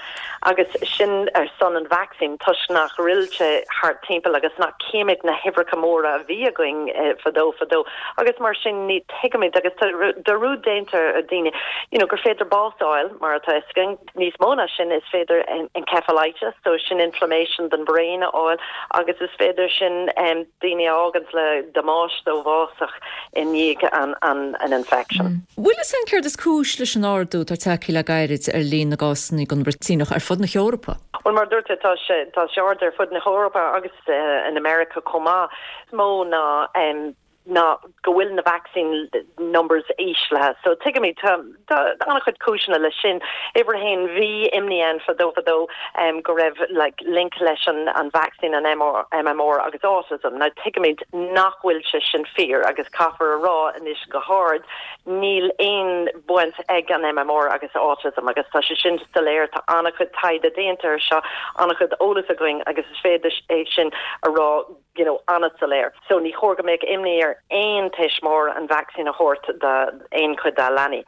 agus sin ar son an vacsaín toisc nach bhfuil sé thart timpeall agus nach címid na huimhreacha móra a bhí againn eh, fadó fadó agus mar sin ní tuigimid agus tá dearúd déanta ar daoine, you know, gur féidir bás a fháil mar atá fhios againn níos mó ná sin is féidir encephalitis, so sin inflammation den brain a fháil agus is féidir sin um, daoine a fhágaint le damáiste uafásach i ndiaidh an, an, an infection. Mm. Bhfuil fhios againn céard is cúis leis an ardú atá tagtha le gairid ar líon na gcásanna den bhruitíneach ar fud na hEorpa? Well mar dúirt tá sé tá sé ard ar fud na hEorpa agus uh, in America chomh maith mó ná um, ná go bhfuil na vaccine numbers íslithe. So tuigimid tá an-chuid cúiseanna leis sin. Uimhir a haon bhí imní ann fadó fadó um, go raibh like, link leis an, an vaccine an MR, MMR agus autism. Now tuigimid nach bhfuil sé sin fíor agus caithfear a rá anois go hard níl aon baint ag an MMR agus autism agus tá sé sin soiléir tá an-chuid taighde déanta seo an-chuid eolas againn agus is féidir é sin a rá you know, an-soiléir. So ní chóir go mbeadh imní ar aon tuismitheoir an vaccine a thabhairt d'aon chuid dá leanaí.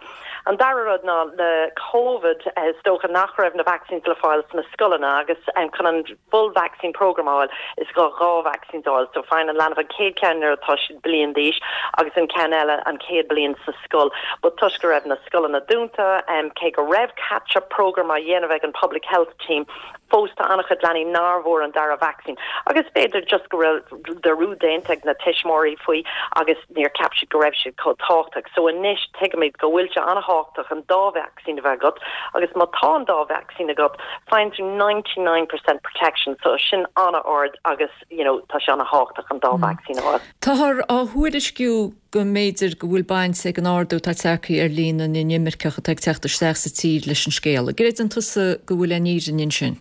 An dara rud ná le COVID is dócha nach raibh na vaccines le fáil sna scoileanna agus um, chun an full vaccine program a fháil is gá dhá vaccine a fháil, so faigheann an leanbh an chéad cheann nuair atá siad bliain d'aois agus an ceann eile an chéad bliain sa scoil. But toisc go raibh na scoileanna dúnta um, cé go raibh catch-up program á dhéanamh ag an public health team fós tá an-chuid leanaí nach bhfuair an dara vaccine. Agus b'fhéidir just go raibh dearúd déanta ag na tuismitheoirí faoi agus níor cheap siad go raibh siad chomh tábhachtach. So anois tuigimid go bhfuil sé an-tábhachtach an dá vaccine a bheith agat, agus má tá an dá vaccine agat faigheann tú ninety nine percent protection, so sin an-ard agus you know, tá sé an-tábhachtach an dá mm. vaccine a fháil. Táthar á thuairisciú go mb'fhéidir go bhfuil baint ag an ardú atá tagtha ar líon na n-inimirceach atá ag teacht isteach sa tír leis an scéal. Gcreideann tusa go bhfuil aon fhírinne ansin?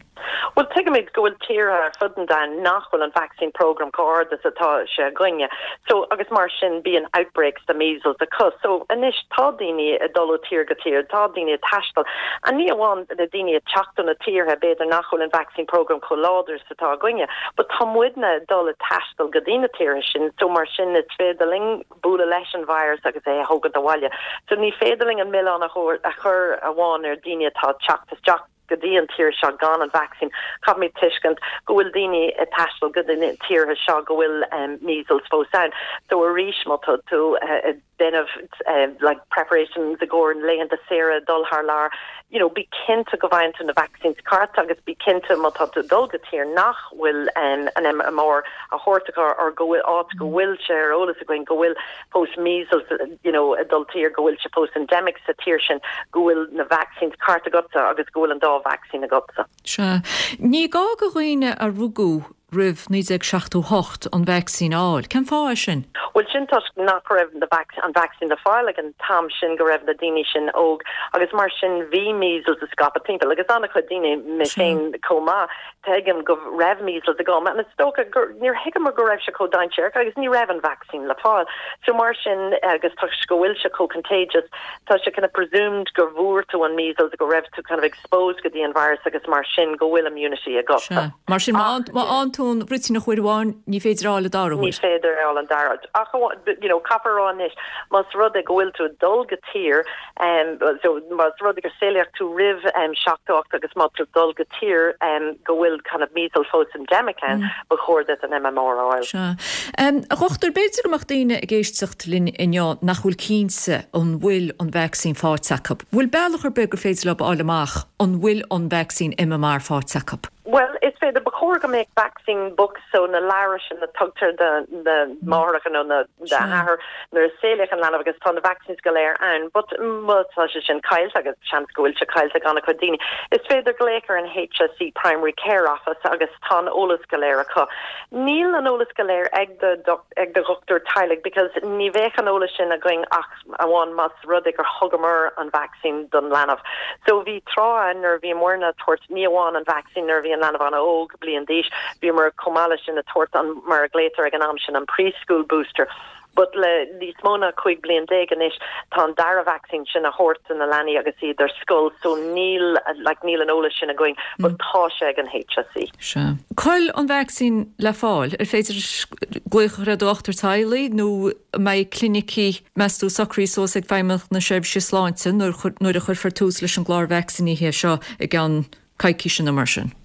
Well tuigimid go bhfuil tíortha ar fud an domhain nach bhfuil an vaccine program chomh hard is atá sé againne. So agus mar sin bíonn outbreaks de measles acu. So anois tá daoine ag dul ó tír go tír, tá daoine ag taisteal. An ní amháin na daoine ag teacht ó na tíortha b'fhéidir nach bhfuil an vaccine program chomh láidir is atá againne, but tá muidne ag dul ag taisteal go dtí na tíortha sin, so mar sin is féidir linn bualadh leis an virus agus é a thógaint abhaile. So ní féidir linn an milleán a chur amháin ar daoine atá ag teacht isteach go dtí an tír seo gan an vaccine caithfimid tuiscint go bhfuil daoine ag taisteal go dtí tíortha seo go bhfuil um, measles fós ann. So arís má tá tú uh, déanamh uh, like preparations i gcomhair laethanta saoire dul thar lear, you know, bí cinnte go bhfaigheann tú na vaccines ceart agus bí cinnte má tá tú dul go tír nach bhfuil um, an MMR á thabhairt or go bhfuil áit go bhfuil sé ar eolas againn go bhfuil fós measles you know, dul tír go bhfuil sé fós endemic sa tír sin go bhfuil na vaccines ceart agatsa agus go bhfuil an dá vaccine agatsa. Sea. Ní gá do dhaoine a rugadh roimh naoi déag seachtó hocht an vacsaín a fháil. Cén fáth é sin? Well sin toisc nach raibh an vaccine le fáil ag an t-am sin go raibh na daoine sin óg agus mar sin bhí measles ag scaipeadh timpeall agus an-chuid daoine mé féin chomh maith tuigim go raibh measles agam and is dócha gur níor thuigeamar go raibh sé chomh dainséarach agus ní raibh an vaccine le fáil. So mar sin agus toisc go bhfuil sé chomh contagious tá sé kind of presumed gur bhfuair tú an measles go raibh tú kind of exposed go dtí an virus agus mar sin go bhfuil immunity agat. Mar sin má fhaigheann tú an bhruitíneach uair amháin ní féidir a fháil an dara Ní féidir a fháil an dara. Ach you know, caithfear a rá anois más rud é go bhfuil tú dul go tír um, so más rud é gur saolaíodh tú roimh um, seachtó ocht agus má tú dul go tír um, go bhfuil kind of measles fós endemic ann mm. ba chóir duit an MMR a fháil. Sea. Um, a dhochtúir b'fhéidir go mbeadh daoine ag éisteacht linn inniu nach bhfuil cinnte an bhfuil an vaccine faighte acu. Bhfuil bealach ar bith gur féidir leo a fháil amach an bhfuil an vaccine MMR faighte acu. Well, is féidir ba chóir go mbeadh vaccine books so na leabhair sin na tugtar de na máithreacha nó na hathar nuair a saolaíodh an leanbh agus tá na vaccines go léir ann, but má tá sé sin caillte agus seans go bhfuil sé caillte ag an-chuid daoine. Is féidir glaoch ar an HSE Primary Care Office agus tá an eolas go léir acu. Níl an eolas go léir ag do ag do dhochtúir teaghlaigh because ní bheadh an eolas sin againn ach amháin más rud é gur thugamar an vaccine don leanbh. So bhí tráth nuair bhí muidne ag tabhairt ní amháin an vaccine nuair bhí an leanbh an-óg bliain d'aois, bhíomar chomh maith leis sin ag tabhairt an mar a glaotar ag an am sin an preschool booster. But le níos mó ná cúig bliain déag anois tá an dara vaccine sin á thabhairt do na leanaí agus iad ar scoil so níl like, níl an eolas sin againn but tá sé ag an HSE. Sea. Cá bhfuil an vaccine le fáil ar féidir glaoch ar dhochtúir teaghlaigh nó mbeidh clinicí meas tú socraithe suas ag Feidhmeannacht na Seirbhíse Sláinte nuair a chuirfear tús leis an gclár vacsaínithe seo i gceann coicíse nó mar sin.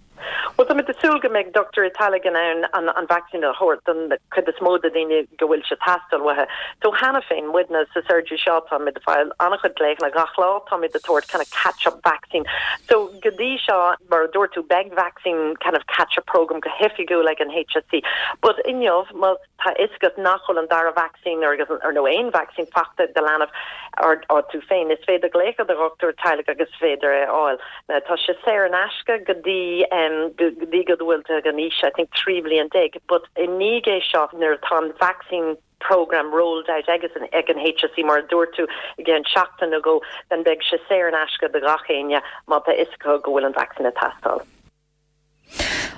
Well táimid ag súil go mbeidh dochtúir teaghlaigh in ann an an vaccine a thabhairt don cuid is mó de daoine go bhfuil sé teastáil uathu. So cheana féin muidne sa surgery seo táimid ag fáil an-chuid glaochanna gach lá táimid ag tabhairt kind of catch up vaccine. So go dtí seo mar a dúirt tú beidh vaccine kind of catch up program go hoifigiúil ag an HSE. But inniu má tá fhios agat nach bhfuil an dara vaccine ar agus ar nó aon vaccine faighte do leanbh or or tú féin is féidir glaoch ar do dhochtúir teaghlaigh agus féidir é fháil. Now, tá sé saor in aisce go dtí um, go dtí go bhfuil tú ag an aois I think trí bliain déag, but i ndiaidh é seo nuair atá an vaccine program rolled out agus an ag an HSE mar dúirt tú i gceann seachtain nó dhó then beidh sé saor in aisce do gach éinne má tá fhios acu go bhfuil an vaccine ag teastáil.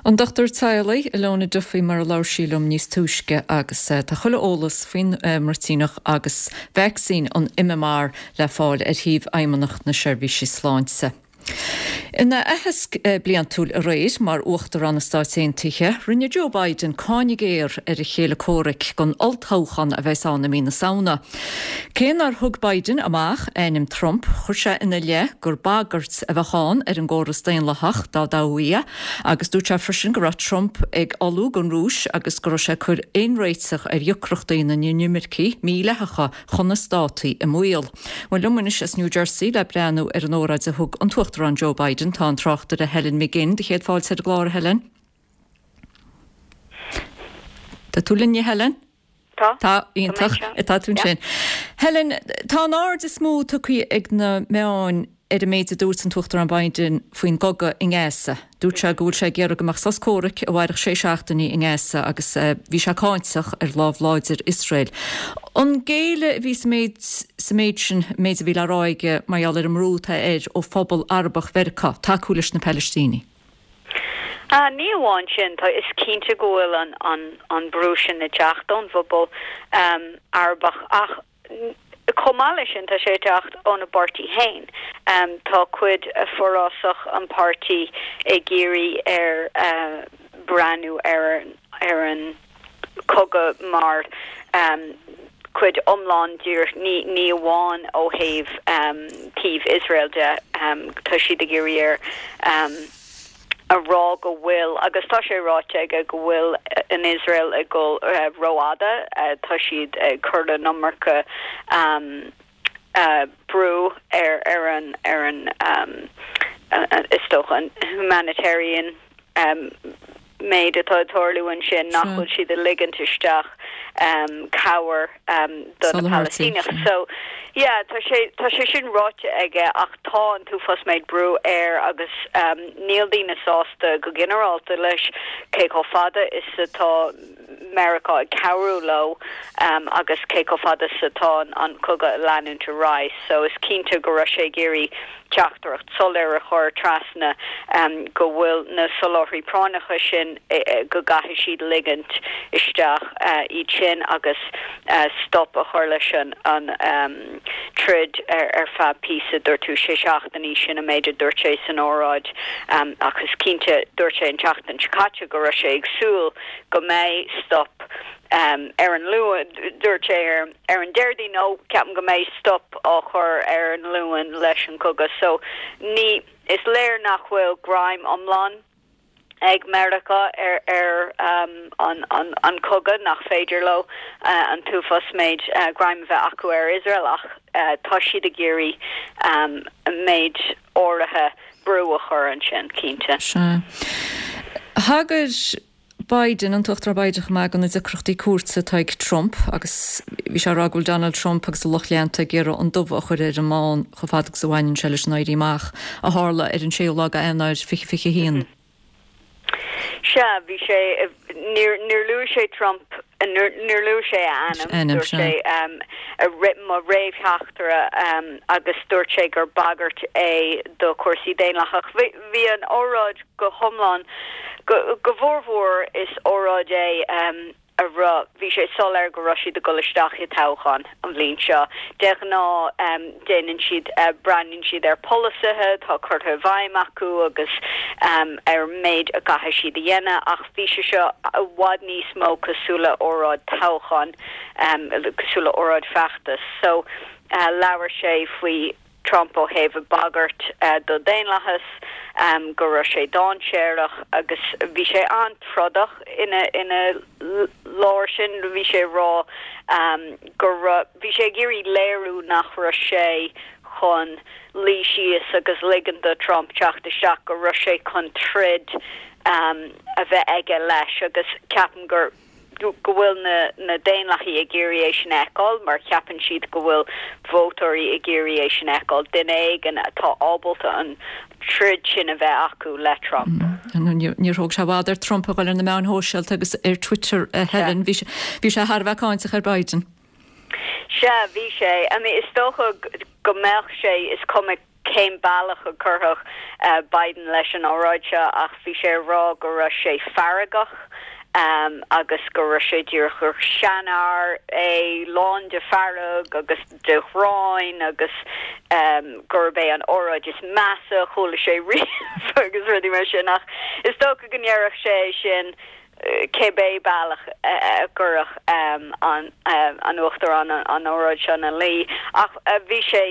An dochtúir teaghlaigh Ilona Duffy mar a labhair sí liom níos túisce agus eh, tá chuile eolas faoin eh, mbruitíneach agus vacsaín an MMR le fáil ar shuíomh Fheidhmeannacht na Seirbhísí Sláinte. Ina aitheasc eh, bliantúil aréir mar Uachtarán na Stát Aontaithe, rinne Joe Biden cáineadh géar ar a chéile comhraic don olltoghchán a bheas ann i mí na Samhna. Cé nár thug Biden amach ainm Trump chuir sé ina leith gur bagairt a bheadh ann ar an gcóras daonlathach dá dtoghfaí é, agus dúirt sé freisin go raibh Trump ag ullmhú don Rúis agus go raibh sé ag cur aon réiteach ar dheacrachtaí na n-inimirceach mídhleathacha chun na Stát i mbaol. Well liom anois as New Jersey le breathnú ar an óráid a thug an tUachtarán Joe Biden tá an tráchtaire Helen McGinn do chéad fáilte ar an gclár Helen. Tá tú linn Helen? Tá Tá iontach tá tú sin. Helen tá an aird is mó tugtha ag na meáin ar an méid a dúirt an tUachtarán Biden faoin gcogadh i nGaza. Dúirt sé go bhfuil sé ag iarraidh go mbeadh sos comhraic a mhairfeadh sé seachtainí i nGaza agus eh, bhí sé cáinteach ar lámh láidir Iosrael. An géilleadh a bhí sa méid sa méid sin méid a bhí le rá aige mar gheall ar an mbrú atá air ó phobal Arabach Mheiriceá tacú leis na Palaistínigh. Uh, ní amháin sin tá is cinnte go bhfuil an an an brú sin ag teacht ón bpobal um, Arabach ach chomh maith leis sin tá sé ag teacht óna bpáirtí féin. Um, tá cuid forásach an páirtí ag iarraidh air uh, breathnú ar ar an cogadh mar um, cuid iomlán díreach ní ní amháin ó thaobh um, taobh Israel de um, tá siad ag iarraidh air um, a rá go bhfuil agus tá sé ráite aige go bhfuil in Israel ag dul uh, rófhada uh, tá siad ag cur an iomarca um, uh, brú ar ar an ar an um, uh, is dócha an humanitarian um, méid atá ag tarlú ansin nach bhfuil siad ag ligint isteach um, cabhair um, do na Palaistínigh. So yeah, tá sé tá sé sin ráite aige ach tá an t-uafás méid brú air agus um, níl daoine sásta go ginearálta leis cé chomh fada is atá Meiriceá ag cabhrú leo um, agus cé chomh fada is atá an cogadh ag leanúint ar aghaidh, so is cinnte go raibh sé ag iarraidh teachtaireacht soiléir a chur trasna um, go bhfuil na soláthairtí práinneacha sin e, e, go gcaithfidh siad ligint isteach uh, iad sin agus uh, stop a chur leis an, an um, troid ar, ar feadh píosa dúirt tú sé seachtainí sin an méid a dúirt sé san óráid um, agus cinnte dúirt sé an tseachtain seo caite go raibh sé ag súil go mbeidh stop um, ar an Luan dúirt sé ar, ar an Déardaoin nó ceapaim go mbeidh stop á chur ar an Luan leis an cogadh so ní is léir nach bhfuil greim iomlán ag Meiriceá ar ar um, an, an, an cogadh nach féidir leo uh, an t-uafás méid uh, greim bheith acu ar Israel ach uh, tá siad ag iarraidh um, méid áirithe brú a chur ansin cinnte. Thagair Biden an tUachtarán Biden chomh maith do na deacrachtaí cúirte atá ag Trump agus bhí sé ag rá go bhfuil Donald Trump agus a lucht leanta ag iarraidh an dubh a chur ar an mbán chomh fada agus a bhaineann sé leis an éirí amach a tharla ar an séú lá d'Eanáir fiche fiche haon. Sea bhí sé níor luaigh sé Trump níor luaigh sé a ainm dúirt sé um, a mo réamhtheachtaire um, agus dúirt sé gur bagairt é do chúrsaí daonlathach. Bhí an óráid go hiomlán go, go mhórmhór is óráid é um, a raibh bhí sé soiléir go raibh siad ag dul isteach i toghchán an bhliain seo. De ghnáth um, déanann siad uh, breathnaíonn siad ar polasaithe atá curtha i bhfeidhm acu agus um, ar méid a gcaithfidh siad a dhéanamh ach bhí sé seo i bhfad níos mó cosúil le óráid toghchán um, cosúil le óráid feachtas. So uh, labhair sé faoi Trump ó thaobh bagairt do daonlathas, go raibh sé dainséarach agus bhí sé an-trodach ina ina lár sin, bhí sé ag rá go raibh, bhí sé ag iarraidh léiriú nach raibh sé chun luí síos agus ligean do Trump teacht isteach, go raibh sé chun troid a bheith aige leis agus ceapaim gur go bhfuil na na Daonlathaigh ag iarraidh é sin a fheiceáil mar ceapann siad go bhfuil vótóirí ag iarraidh é sin a fheiceáil, duine éigin atá ábalta an troid sin a bheith acu le Trump. Níor thóg sé i bhfad ar Trump a dhul ar na meáin shóisialta agus ar Twitter a Helen, bhí sé thar a bheith cáinteach ar Biden. Sea, bhí sé. I mean, is dócha go mbeadh sé, is cuma cén bealach a chuirfeadh Biden leis an óráid seo ach bhí sé ag rá go raibh sé feargach agus go raibh sé díreach gur seanfhear é lán de fearg agus de ghráin agus gurb é an óráid is measa a chuala sé riamh agus rudaí mar sin ach is dócha go ndéarfadh sé é sin cibé bealach a gcuirfeadh an Uachtarán an óráid seo ina luí ach bhí sé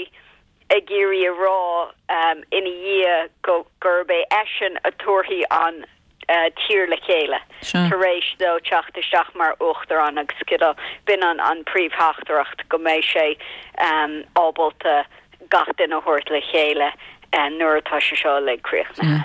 ag iarraidh a rá ina dhiaidh go gurb é eisean a tabharfaidh an tír le chéile tar éis dó teacht isteach mar uachtarán agus go b'in an an príomhtheachtaireacht go mbeidh sé ábalta gach duine a thabhairt le chéile nuair atá sé seo uilig críochnaithe.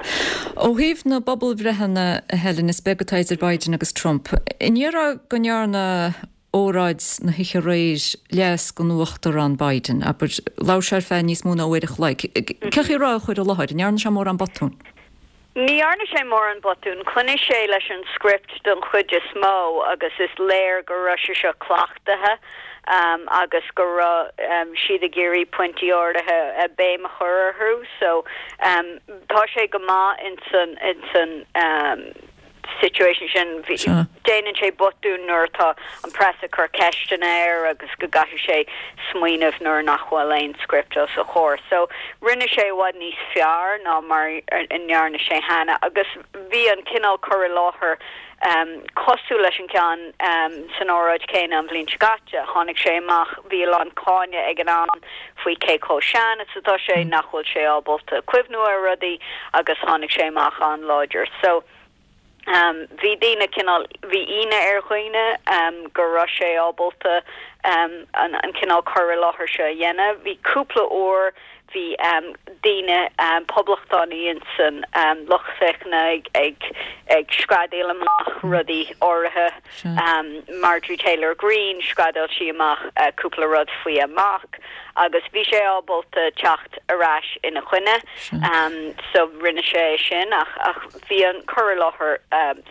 Ó thaobh na bpobalbhreitheanna, a Helen, is beag atá idir Biden agus Trump. An ndéarfá go ndearna óráid na hoíche aréir leas don Uachtarán Biden, abair, labhair sé ar feadh níos mó ná uair a chloig. Cén chaoi a raibh a chur i láthair? An ndearna sé mórán botún? Ní dhearna sé mórán botún. Choinnigh sé leis an script don chuid is mó agus is léir go raibh sé seo cleachtaithe agus go raibh siad ag iarraidh pointí áirithe béim a chur orthu. So tá sé go maith insan insan situation sin. Déanann sé botún nuair atá an press ag cur ceisteanna air agus go gcaithfidh sé smaoineamh nuair nach bhfuil aon script os a chomhair. So rinne sé i bhfad níos fearr ná mar a ndearna sé cheana agus bhí an cineál cur i láthair cosúil leis an gceann san óráid chéanna an bhliain seo caite. Tháinig sé amach, bhí a lán cáineadh ag an am faoi cé chomh sean is atá sé, nach bhfuil sé ábalta cuimhniú ar rudaí agus tháinig sé amach an-láidir. So bhí daoine cineál, bhí ionadh ar dhaoine go raibh sé ábalta an cineál cur i láthair seo a dhéanamh. Bhí cúpla uair, bhí daoine poblachtánaí insan lucht féachana ag ag screadaíl amach rudaí áirithe. Marjorie Taylor Greene, screadaíl sí amach cúpla rud faoi a mac agus bhí sé ábalta teacht ar ais ina choinne so rinne sé é sin ach ach bhí an cur i láthair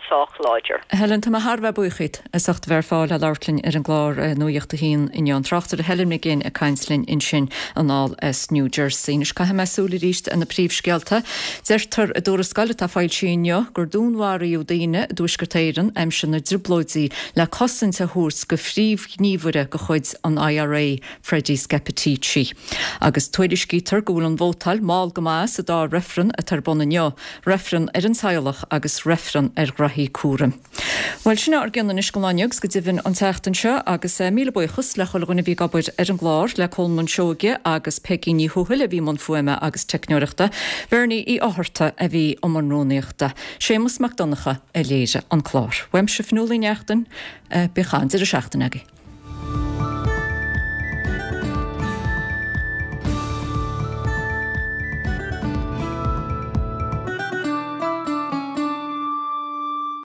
sách láidir. Helen, tá mé thar a bheith buíoch díot as ucht a bheith ar fáil le labhairt linn ar an gclár Nuacht a hAon inniu. An tráchtaire Helen McGinn ag caint linn ansin anall as New Jersey. Anois caithfidh mé súil arís ar na príomhscéalta. Deirtear i dtuarascáil atá foilsithe inniu gur dúnmharaíodh daoine i dTuaisceart Éireann aimsir na dTrioblóidí le cosaint a thabhairt go phríomhghníomhaire de chuid an I R A, Freddie Scappaticci. Agus tuairiscítear go bhfuil an vótáil mall go maith sa dá reifreann atá ar bun inniu, reifreann ar an teaghlach agus reifreann ar ghraithí cúraim. Bhuel, sin ár gcion anois don lá inniu agus go deimhin an tseachtain seo agus míle buíochas le chuile dhuine a bhí ag obair ar an gclár, le Colmán Seoige agus Peigí Ní Thuathail a bhí i mbun fuaime agus teicneoireachta, Bernie Uí Fhátharta a bhí i mbun rúnaíochta, Séamus Mac Donncha a léirigh an clár. Uaimse Fionnuala Ní Neachtain, bíodh an-deireadh seachtaine agaibh.